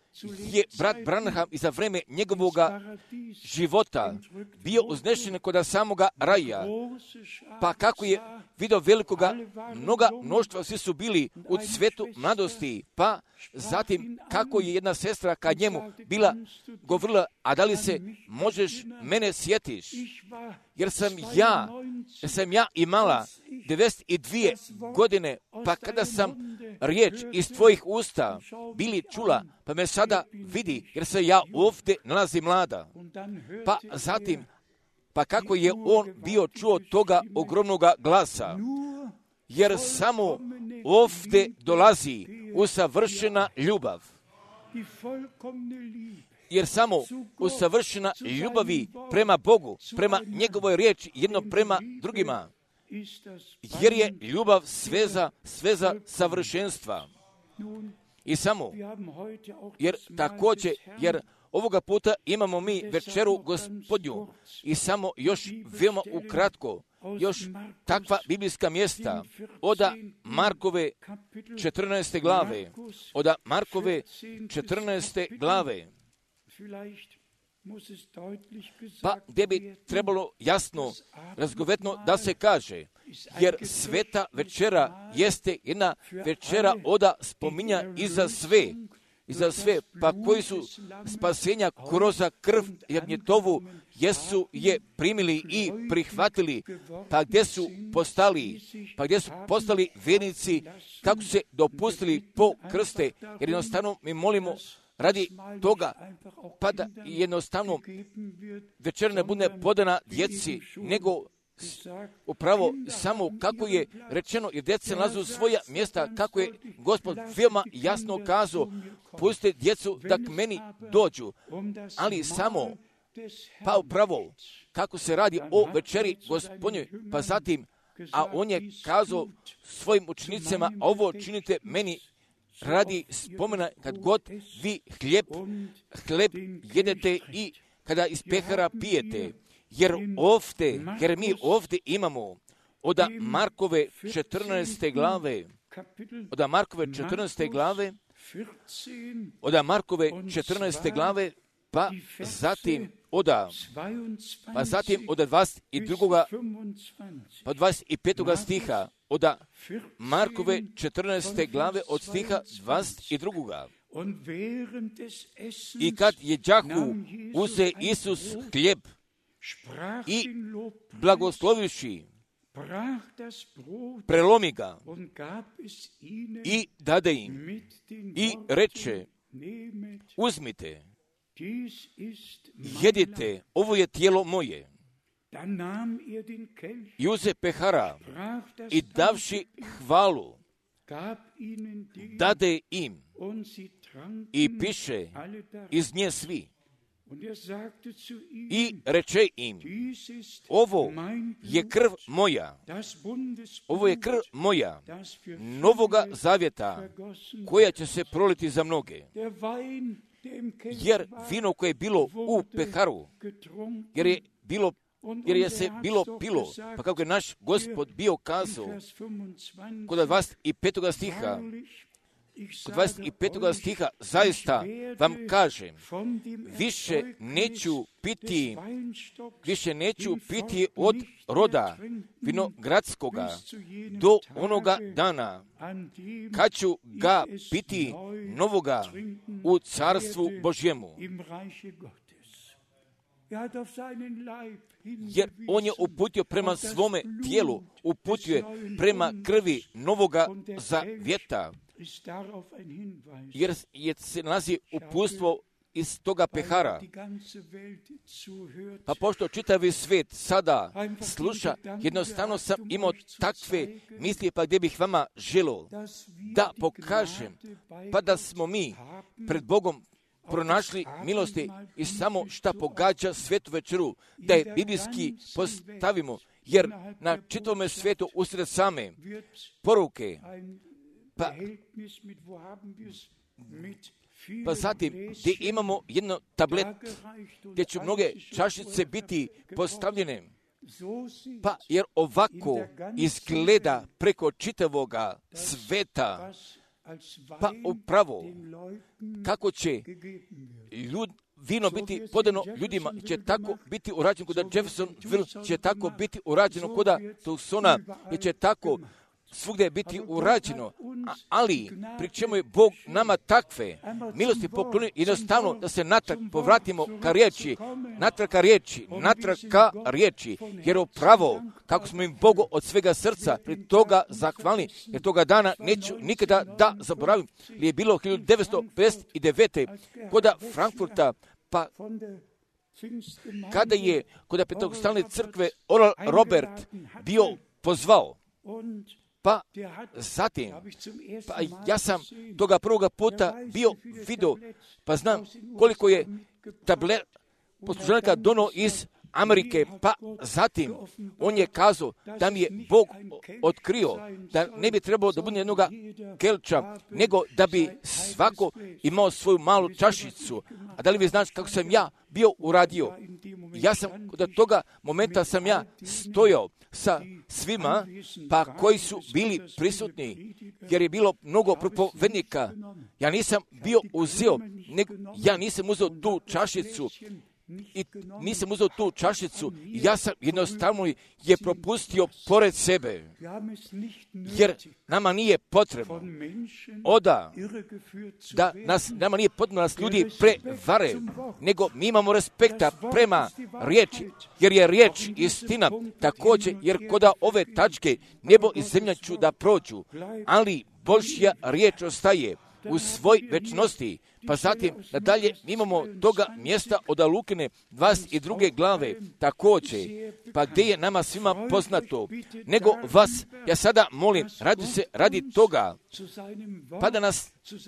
je brat Branham i za vreme njegovoga života bio uznešen kod samoga raja, pa kako je vidio velikoga mnoštva, svi su bili u cvetu mladosti, pa zatim kako je jedna sestra kad njemu bila govorila, a da li se možeš mene sjetiš, jer sam ja imala 92 godine, pa kada sam riječ iz tvojih usta bili čula, pa me sada vidi, jer se ja ovdje nalazim mlada. Pa zatim, pa kako je on bio čuo toga ogromnoga glasa, jer samo ovdje dolazi usavršena ljubav. Jer samo usavršena ljubavi prema Bogu, prema njegovoj riječi, jedno prema drugima. Jer je ljubav sveza savršenstva. I samo, jer ovoga puta imamo mi večeru Gospodnju i samo još veoma ukratko, još takva biblijska mjesta od Markove 14. glave, Pa gdje bi trebalo jasno, razgovetno da se kaže, jer sveta večera jeste jedna večera oda spominja i za sve, pa koji su spasenja kroz krv jagnjetovu, jesu je primili i prihvatili, pa gdje su postali vjernici, kako se dopustili po krste, jer jednostavno mi molimo radi toga, pa da jednostavno večer ne bude podana djeci, nego upravo samo kako je rečeno, jer djeca nalazu svoja mjesta, kako je Gospod veoma jasno kazao, pustite djecu da k meni dođu, ali samo, pa upravo kako se radi o večeri Gospodnjoj, pa zatim, a on je kazao svojim učenicima, ovo činite meni radi spomena kad god vi hljeb jedete i kada iz pehara pijete. Jer mi ovdje imamo od Markove 14. glave, pa zatim od 22. pa 25. stiha, od Markove 14. glave od stiha 22. I kad jeđahu, uze Isus hljeb i blagoslovivši, prelomi ga i dade im i reče, uzmite, jedite, ovo je tijelo moje. I uze pehara i davši hvalu, dade im i piše iz nje svi. I reče im, ovo je krv moja, novoga zavjeta, koja će se proliti za mnoge. Jer vino koje je bilo u peharu, jer je se bilo pilo, pa kako je naš Gospod bio kazao, kod 25. stiha, zaista vam kažem, više neću piti od roda vinogradskoga do onoga dana, kad ću ga piti novoga u carstvu Božjemu. Jer on je uputio prema svome tijelu, uputio prema krvi novoga zavjeta, jer se nalazi uputstvo iz toga pehara. Pa pošto čitavi svijet sada sluša, jednostavno sam imao takve misli, pa gdje bih vama želio da pokažem, pa da smo mi pred Bogom pronašli milosti i samo šta pogađa svetu večeru, da je biblijski postavimo, jer na čitavome svijetu usred same poruke, pa zatim gdje imamo jedno tablet, gdje će mnoge čašice biti postavljene, pa jer ovako izgleda preko čitavoga sveta, pa upravo kako će vino biti podano ljudima, će tako biti urađeno kod Jeffersonville, će tako biti urađeno kod Tucsona, će tako svugdje biti urađeno, ali pri čemu je Bog nama takve milosti poklonio, jednostavno da se natrag povratimo ka riječi, jer upravo kako smo im Bogu od svega srca pri toga zahvalni, jer toga dana neću nikada da zaboravim, li je bilo 1959. kod Frankfurta, pa kada je kod Pentecostalne crkve Oral Robert bio pozvao, pa zatim, pa ja sam toga prvoga puta bio vidio, pa znam koliko je poslužanika dono iz Amerike, pa zatim on je kazao da mi je Bog otkrio da ne bi trebalo da bude jednoga kelča, nego da bi svako imao svoju malu čašicu. A da li vi znate kako sam ja bio uradio? Ja sam, od toga momenta sam ja stojao sa svima, pa koji su bili prisutni, jer je bilo mnogo propovednika. Ja nisam uzeo tu čašicu, i nisam uzeo tu čašicu, ja sam jednostavno je propustio pored sebe, jer nama nije potrebno nama nije potrebno nas ljudi prevare, nego mi imamo respekta prema riječi, jer je riječ istina. Također, jer koda ove tačke nebo i zemlja ću da prođu, ali Božja riječ ostaje u svoj večnosti. Pa zatim, nadalje, imamo toga mjesta od Lukine 22. glave, također, pa gdje je nama svima poznato, nego vas, ja sada molim, radi toga,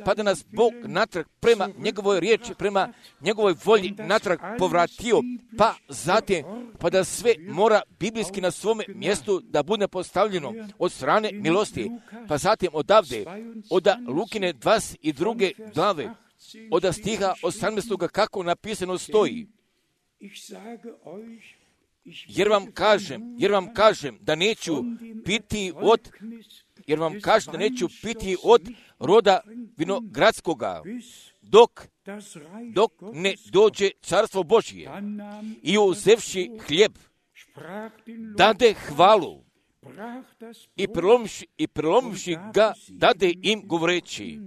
pa da nas Bog natrag prema njegovoj riječi, prema njegovoj volji natrag povratio, pa zatim, pa da sve mora biblijski na svome mjestu da bude postavljeno od strane milosti, pa zatim odavde, od Lukine 22. glave, od stiha 18. kako napisano stoji. Jer vam kažem da neću piti od roda vinogradskoga, dok ne dođe carstvo Božje. I uzevši hljeb, dade hvalu i prelomivši ga, dade im govoreći: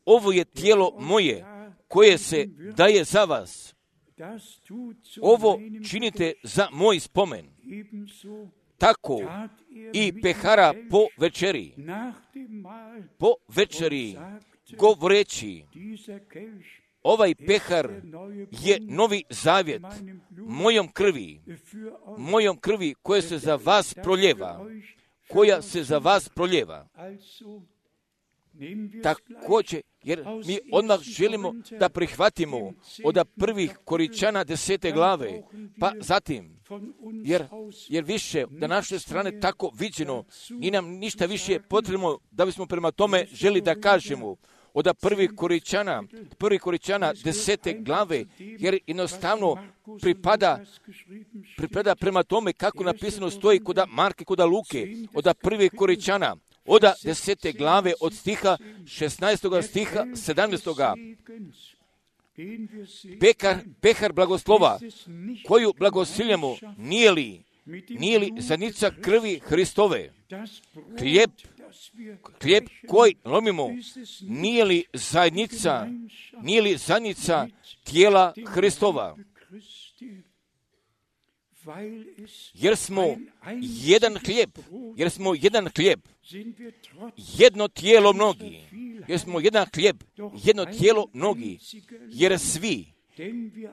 ovo je tijelo moje, koje se daje za vas. Ovo činite za moj spomen. Tako i pehara po večeri, govoreći: ovaj pehar je novi zavjet mojom krvi koja se za vas proljeva. Također, jer mi odmah želimo da prihvatimo od prvih Koričana 10. glave, pa zatim, jer više da naše strane tako viđeno, i nam ništa više potrebno da bismo prema tome želi da kažemo od prvih Koričana 10. glave, jer jednostavno pripada prema tome kako napisano stoji kod Marke, kod Luke, od prvih Koričana, od 10. glave, od stiha 16. stiha 17. Pehar blagoslova, koju blagosiljamo, nije li zanica krvi Hristove? Hljeb koji lomimo, nije li zajednica tijela Hristova? Jer smo jedan hljeb, jedno tijelo mnogi. Jer smo jedan hljeb, jedno tijelo mnogi.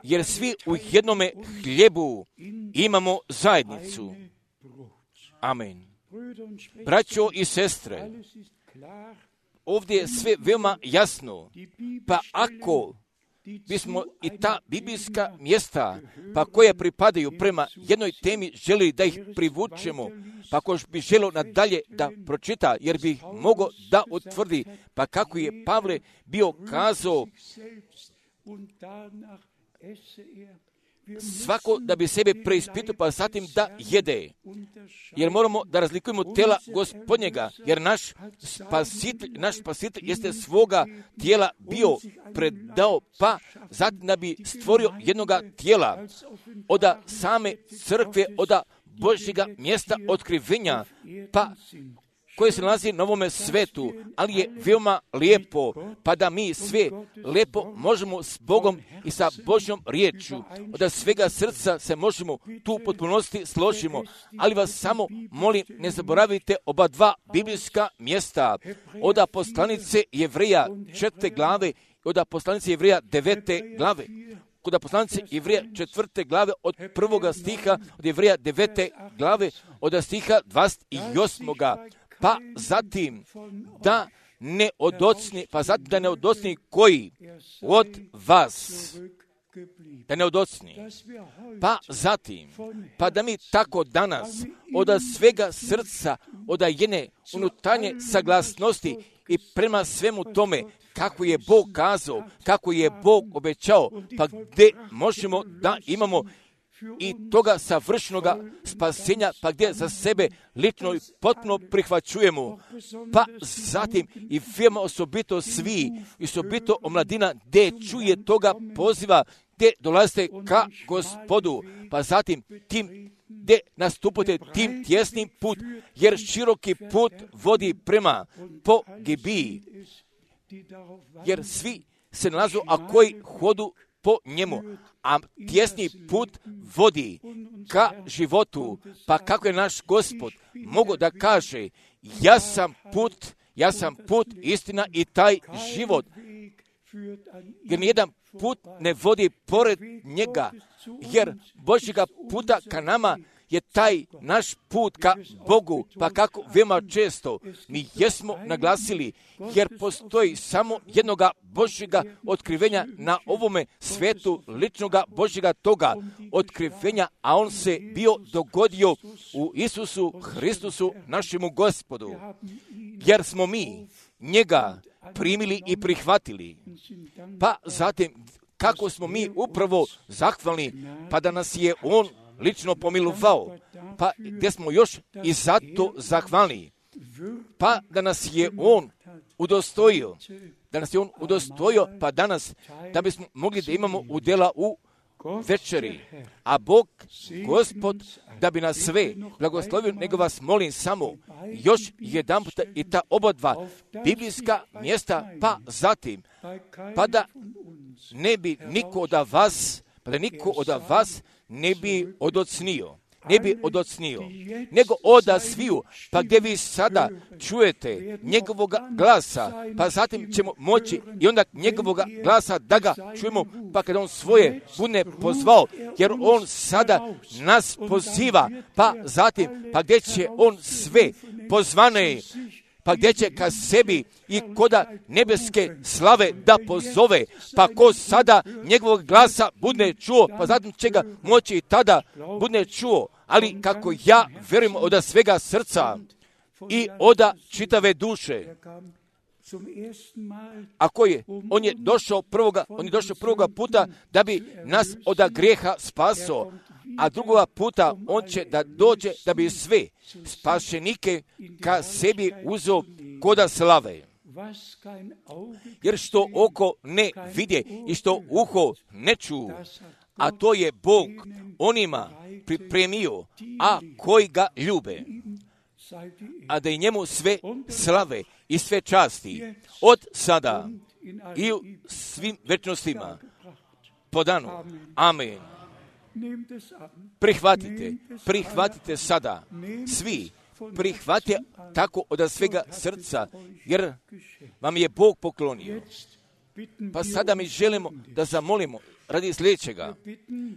Jer svi u jednome hljebu imamo zajednicu. Amen. Braćo i sestre, ovdje je sve veoma jasno. Pa ako bismo i ta biblijska mjesta, pa koje pripadaju prema jednoj temi, želi da ih privučemo, pa ako bi želio nadalje da pročita, jer bi mogao da utvrdi, pa kako je Pavle bio kazao, svako da bi sebe preispitao, pa zatim da jede. Jer moramo da razlikujemo tela Gospodnjega, jer naš spasitelj jeste svoga tijela bio predao, pa zatim da bi stvorio jednoga tijela od same crkve, od Božjega mjesta otkrivenja, pa koje se nalazi na ovome svetu, ali je veoma lijepo, pa da mi sve lijepo možemo s Bogom i sa Božjom riječju, od svega srca se možemo tu potpunosti složimo, ali vas samo molim, ne zaboravite oba dva biblijska mjesta, od poslanice Jevreja 4. glave, od poslanice Jevreja 9. glave, kod poslanice Jevreja 4. glave od 1. stiha, od Jevreja 9. glave, od stiha 28. Pa zatim da ne odocni koji od vas, da ne odocni. Pa zatim, pa da mi tako danas od svega srca, od jedne unutarnje saglasnosti i prema svemu tome, kako je Bog kazao, kako je Bog obećao, pa gdje možemo da imamo i toga savršenoga spasenja, pa gdje za sebe lično i potpuno prihvaćujemo, pa zatim i veoma osobito svi, i osobito omladina, gdje čuje toga poziva, gdje dolazite ka Gospodu, pa zatim tim gdje nastupate tim tjesnim put, jer široki put vodi prema pogibiji, jer svi se nalazu, a koji hodu po njemu, a tjesni put vodi ka životu. Pa kako je naš Gospod mogo da kaže, ja sam put, istina i taj život, jer nijedan put ne vodi pored njega, jer Božjega puta ka nama je taj naš put ka Bogu, pa kako veoma često mi jesmo naglasili, jer postoji samo jednoga Božjega otkrivenja na ovome svetu, ličnoga Božjega toga otkrivenja, a on se bio dogodio u Isusu Hristusu, našemu Gospodu, jer smo mi njega primili i prihvatili. Pa zatim, kako smo mi upravo zahvalni, pa da nas je on lično pomilovao, pa gdje smo još i zato zahvalni, pa da nas je on udostojio, pa danas da bismo mogli da imamo udjela u večeri, a Bog, Gospod, da bi nas sve blagoslovio, nego vas molim samo još jedan puta i ta oba dva biblijska mjesta, pa zatim, pa da ne bi niko od vas ne bi odocnio, nego oda sviju, pa gdje vi sada čujete njegovog glasa, pa zatim ćemo moći i onda njegovog glasa da ga čujemo, pa kada on svoje bude pozvao, jer on sada nas poziva, pa zatim, pa gdje će on sve pozvane, pa gdje će ka sebi i koda nebeske slave da pozove, pa ko sada njegovog glasa bude čuo, pa zatim će ga moći i tada bude čuo, ali kako ja vjerujem od svega srca i od čitave duše. On je došao prvoga puta da bi nas od grijeha spaso, a drugoga puta on će da dođe da bi sve spašenike ka sebi uzeo koda slave. Jer što oko ne vidje i što uho ne ču, a to je Bog onima pripremio, a koji ga ljube, a da i njemu sve slave i sve časti od sada i u svim večnostima po danu. Amen. Prihvatite sada, svi prihvatite tako od svega srca, jer vam je Bog poklonio. Pa sada mi želimo da zamolimo radi sljedećega,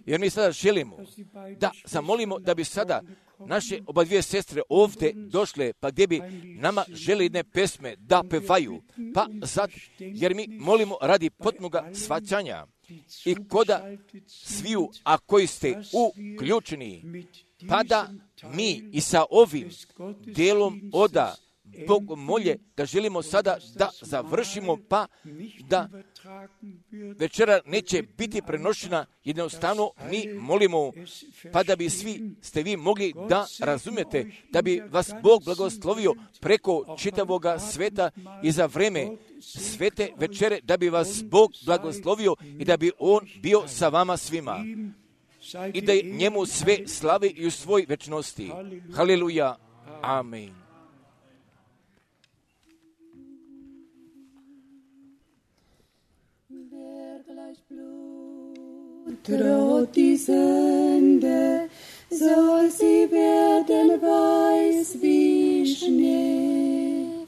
jer mi sada želimo da zamolimo da bi sada naše oba dvije sestre ovdje došle, pa gdje bi nama želi jedne pesme da pevaju, pa sad, jer mi molimo radi potpunoga shvaćanja i koda sviju, a koji ste uključeni, pa da mi i sa ovim dijelom oda Bog molje da želimo sada da završimo, pa da večera neće biti prenošena, jednostavno mi molimo, pa da bi ste vi mogli da razumijete, da bi vas Bog blagoslovio preko čitavoga sveta i za vreme svete večere, da bi vas Bog blagoslovio i da bi On bio sa vama svima i da je njemu sve slavi i u svoj večnosti. Haleluja. Amen. Droht die Sünde, soll sie werden weiß wie Schnee.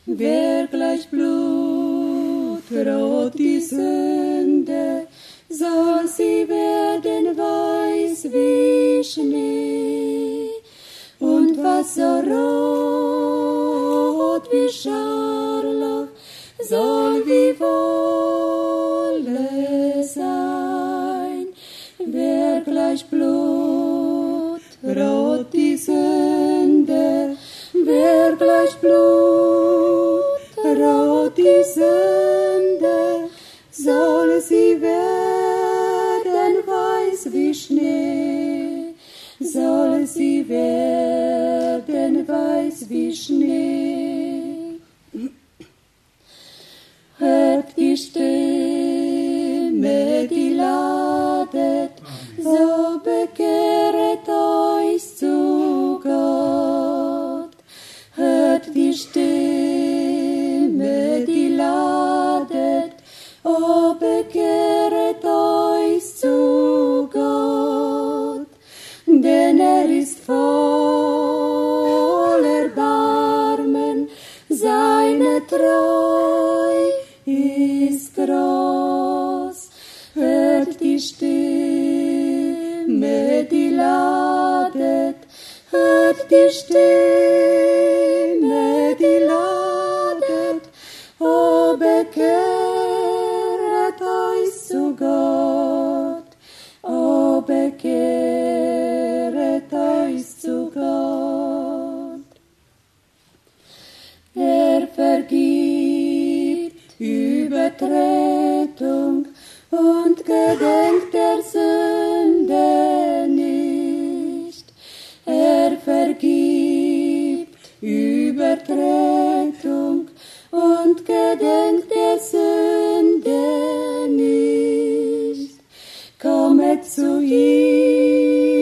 Wer gleich Blut droht die Sünde, soll sie werden weiß wie Schnee. Und wasserrot wie Scharlach soll wie Wolle sein. Wer gleich Blut rot die Sünde, wer gleich Blut rot die Sünde, soll sie werden weiß wie Schnee. soll sie werden weiß wie Schnee. Hört die Stimme, die ladet, so bekehret euch zu Gott. Hört die Stimme, die ladet, o bekehret euch zu Gott. Denn ist voll Erbarmen, seine Treu ist groß. Hört die Stimme, die ladet, hört die Stimme, die ladet, o bekehret euch zu Gott, o bekehret euch zu Gott. Vergibt Übertretung und gedenkt der Sünde nicht. Vergibt Übertretung und gedenkt der Sünde nicht. Kommet zu ihm,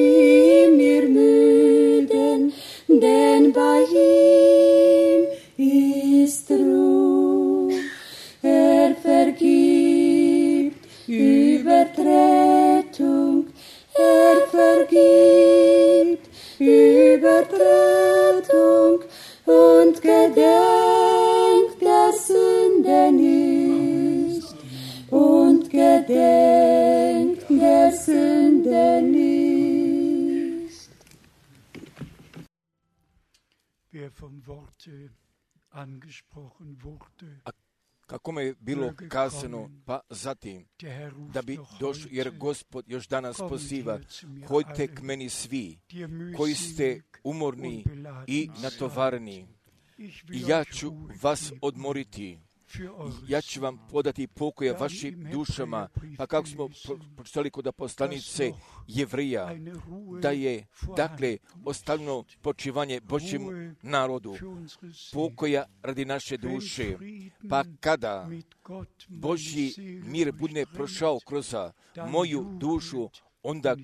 ihr Müden, denn bei ihm ist Ruhe. Vergibt Übertretung, vergibt Übertretung und gedenkt der Sünde nicht. Und gedenkt der Sünde nicht. Wer vom Worte angesprochen wurde, Kako je bilo kazano, pa zatim, der Herr ruft da bi noch došlo, jer heute, Gospod još danas kommt poziva, her zu mir hoďte alle, k meni svi, die ihr koji ste mühselig umorni und beladen i seid. natovarni. Ich I will ja euch ću Ruhe vas geben odmoriti. für eure Ja ću vam podati pokoja Da vašim im dušama, Hebreerbrief pa kako smo gelesen, pročitali kod poslanice Jevrija, eine Ruhe da je, dakle, vorhanden ostavljeno počivanje Božjem Ruhe narodu, für unsere Seele. pokoja radi naše Wenn duše. Frieden Pa kada mit Gott meine Božji Seele mir bude durchdringt, prošao kroz moju dušu, onda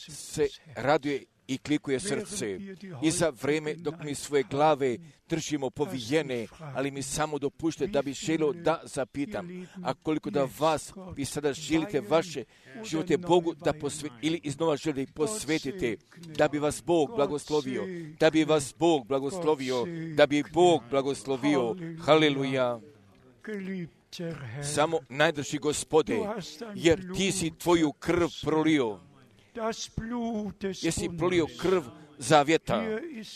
se raduje i klikuje srce. I za vreme dok mi svoje glave držimo povijene, ali mi samo dopušte da bi želio da zapitam, a koliko da vas vi sada želite vaše živote Bogu da ili iznova želite posvetite, da bi vas Bog blagoslovio, da bi vas Bog blagoslovio, da bi Bog blagoslovio. Haleluja. Geliebter Herr, Samo najdrži Gospode, jer ti si tvoju krv prolio, das Blut des jesi Bundes, prolio krv zavjeta,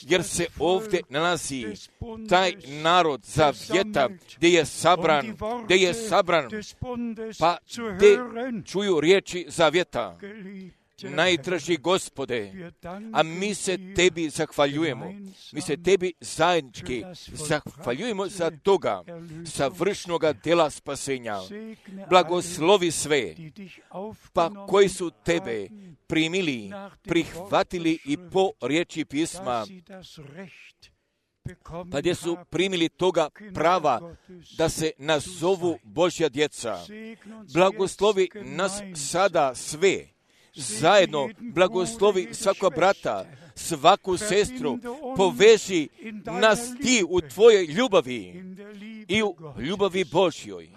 jer se ovdje nalazi taj narod zavjeta gdje je sabran, pa gdje čuju riječi zavjeta. Najdraži Gospode, a mi se tebi zahvaljujemo, mi se tebi zajednički zahvaljujemo za toga savršnoga dela spasenja. Blagoslovi sve, pa koji su tebe primili, prihvatili i po riječi pisma, pa gdje su primili toga prava da se nazovu Božja djeca. Blagoslovi nas sada sve, zajedno blagoslovi svakog brata, svaku sestru, poveži nas ti u tvojoj ljubavi i u ljubavi Božjoj.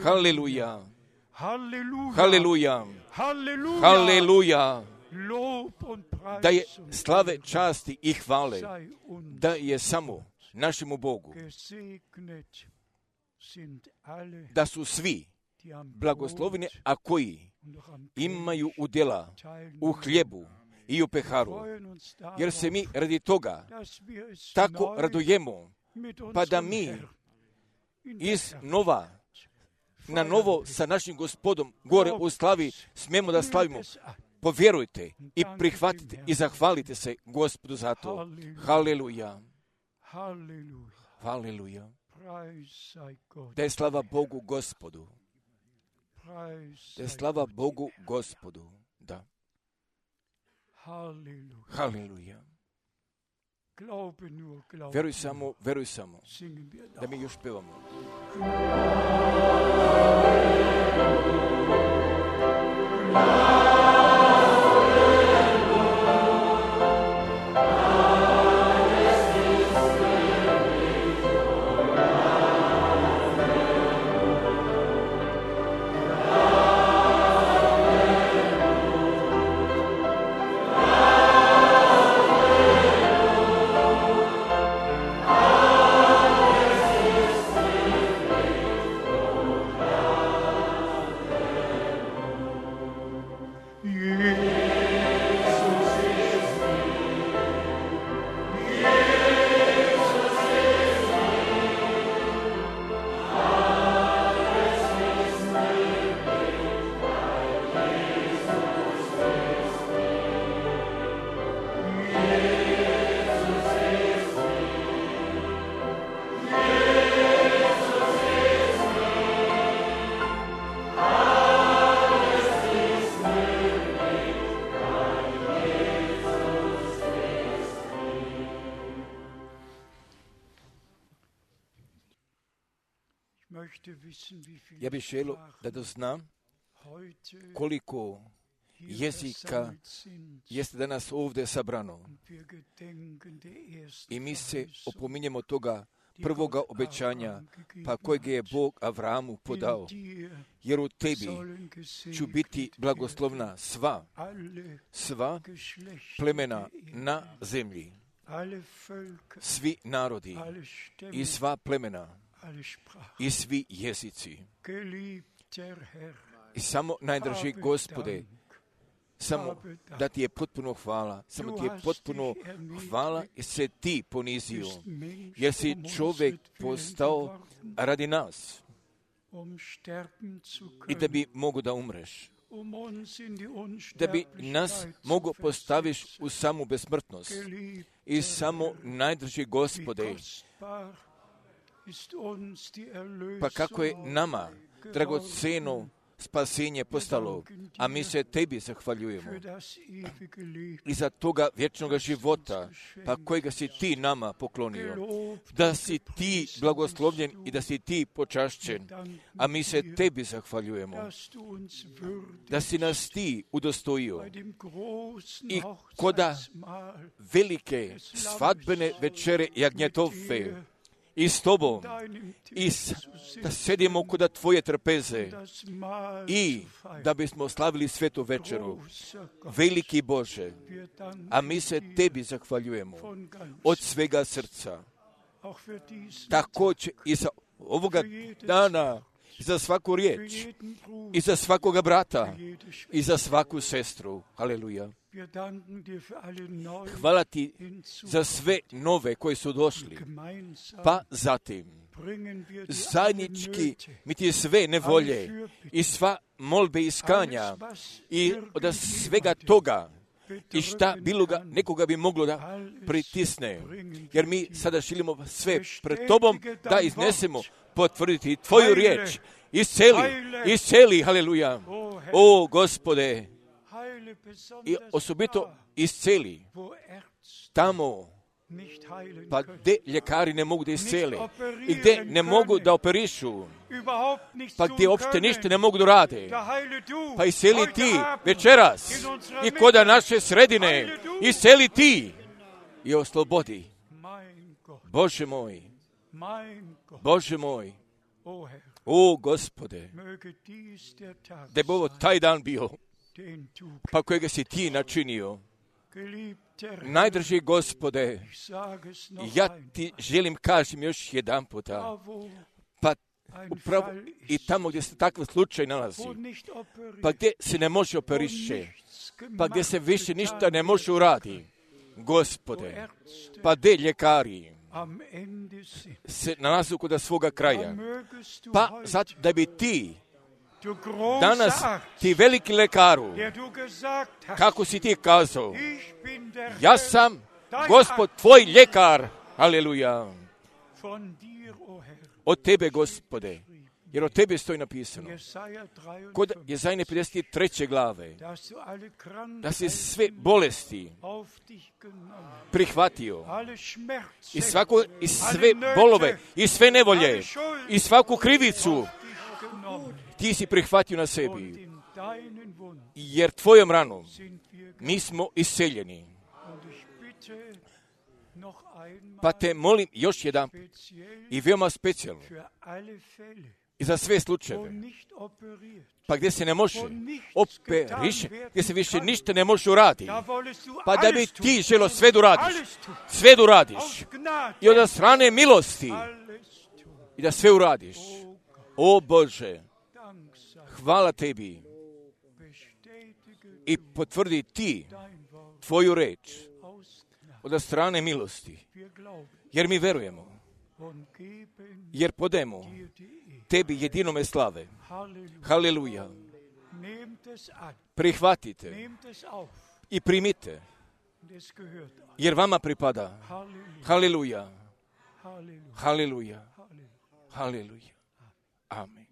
Haleluja, haleluja, haleluja. Da je slave, časti i hvale, da je samo našemu Bogu, da su svi blagosloveni, a koji imaju udjela u hljebu i u peharu, jer se mi radi toga tako radujemo, pa da mi na novo sa našim Gospodom gore u slavi smijemo da slavimo. Povjerujte i prihvatite i zahvalite se Gospodu za to. Haleluja, haleluja. Da je slava Bogu Gospodu. Da je slava Bogu Gospodu. Da. Halleluja. Halleluja. Glaube nur, glaube Veruj samo, singen wir da noch. mi još pevamo. Ja bih želio da doznam koliko jezika jeste danas ovdje sabrano. I mi se opominjemo toga prvoga obećanja, pa kojeg je Bog Avramu podao. Jer u tebi ću biti blagoslovna sva plemena na zemlji, svi narodi i sva plemena i svi jezici. I samo najdraži Gospode, samo da ti je potpuno hvala, samo ti je potpuno hvala jer se ti ponizio, jer si čovjek postao radi nas i da bi mogo da umreš, da bi nas mogo postaviš u samu besmrtnost. I samo najdraži Gospode, pa kako je nama dragoceno spasenje postalo, a mi se tebi zahvaljujemo i za toga vječnoga života, pa kojega si ti nama poklonio, da si ti blagoslovljen i da si ti počašćen, a mi se tebi zahvaljujemo, da si nas ti udostojio i koda velike svadbene večere jagnjetove i s tobom, i da sedimo kuda tvoje trpeze i da bismo slavili svetu večeru. Veliki Bože, a mi se tebi zahvaljujemo od svega srca. Također i za ovoga dana, i za svaku riječ, i za svakoga brata, i za svaku sestru. Halleluja. Hvala ti za sve nove koji su došli, pa zatim zajednički mi ti sve nevolje i sva molbe iskanja i od svega toga i šta bilo ga nekoga bi moglo da pritisne, jer mi sada želimo sve pred tobom da iznesemo, potvrditi tvoju riječ. Isceli, halleluja. O Gospode, i osobito isceli tamo, pa gdje ljekari ne mogu da isceli i gdje ne mogu da operišu, pa gdje uopšte ništa ne mogu da rade, pa isceli ti večeras i koda naše sredine, isceli ti i oslobodi. Bože moj, Bože moj, o Gospode, da bi ovo taj dan bio, pa kojega si ti načinio. Najdraži Gospode, ja ti želim kažem još jedan puta, pa upravo i tamo gdje se takav slučaj nalazi, pa gdje se ne može operiše, pa gdje se više ništa ne može uradi, Gospode, pa gdje ljekari se nalazu kod svoga kraja, pa zato da bi ti danas, ti veliki lekaru, kako si ti kazao, ja sam Gospod tvoj ljekar, aleluja. Od tebe, Gospode, Jer o tebi stoji napisano Jesaja kod 53, Jezajne 53. glave dass du alle da si Krankheiten sve bolesti auf dich genommen, prihvatio alle Schmerzen i sve bolove i sve nevolje i svaku krivicu auf dich genommen. ti si prihvatio na Und sebi. in deinen Wunden Jer tvojom ranom sind wir mi smo isceljeni. Und ich bitte noch einmal Pa te molim još jedan speziell i veoma specijalno für alle Fälle, i za sve wo slučajeve, nicht operiert, pa gdje se ne može wo nichts operiše, getan werden gdje se više kann. ništa ne može uraditi, Da wollest du pa da bi alles tun. ti želo sve da uradiš, Alles tun. sve da uradiš Aus Gnade. i od strane milosti Alles tun. i da sve uradiš. O Bože, Dank sei. hvala tebi Bestätige i potvrdi ti dein Wort tvoju reč aus Gnade. od strane milosti, Wir glauben jer mi verujemo, und geben jer podajemo dir die Ehre. tebi jedinome slave. Halleluja. Haleluja. Nehmt es an. Prihvatite Nehmt es auf. i primite, Und es gehört euch. jer vama pripada. Halleluja. Haleluja. Halleluja. Haleluja. Halleluja. Haleluja. Amen.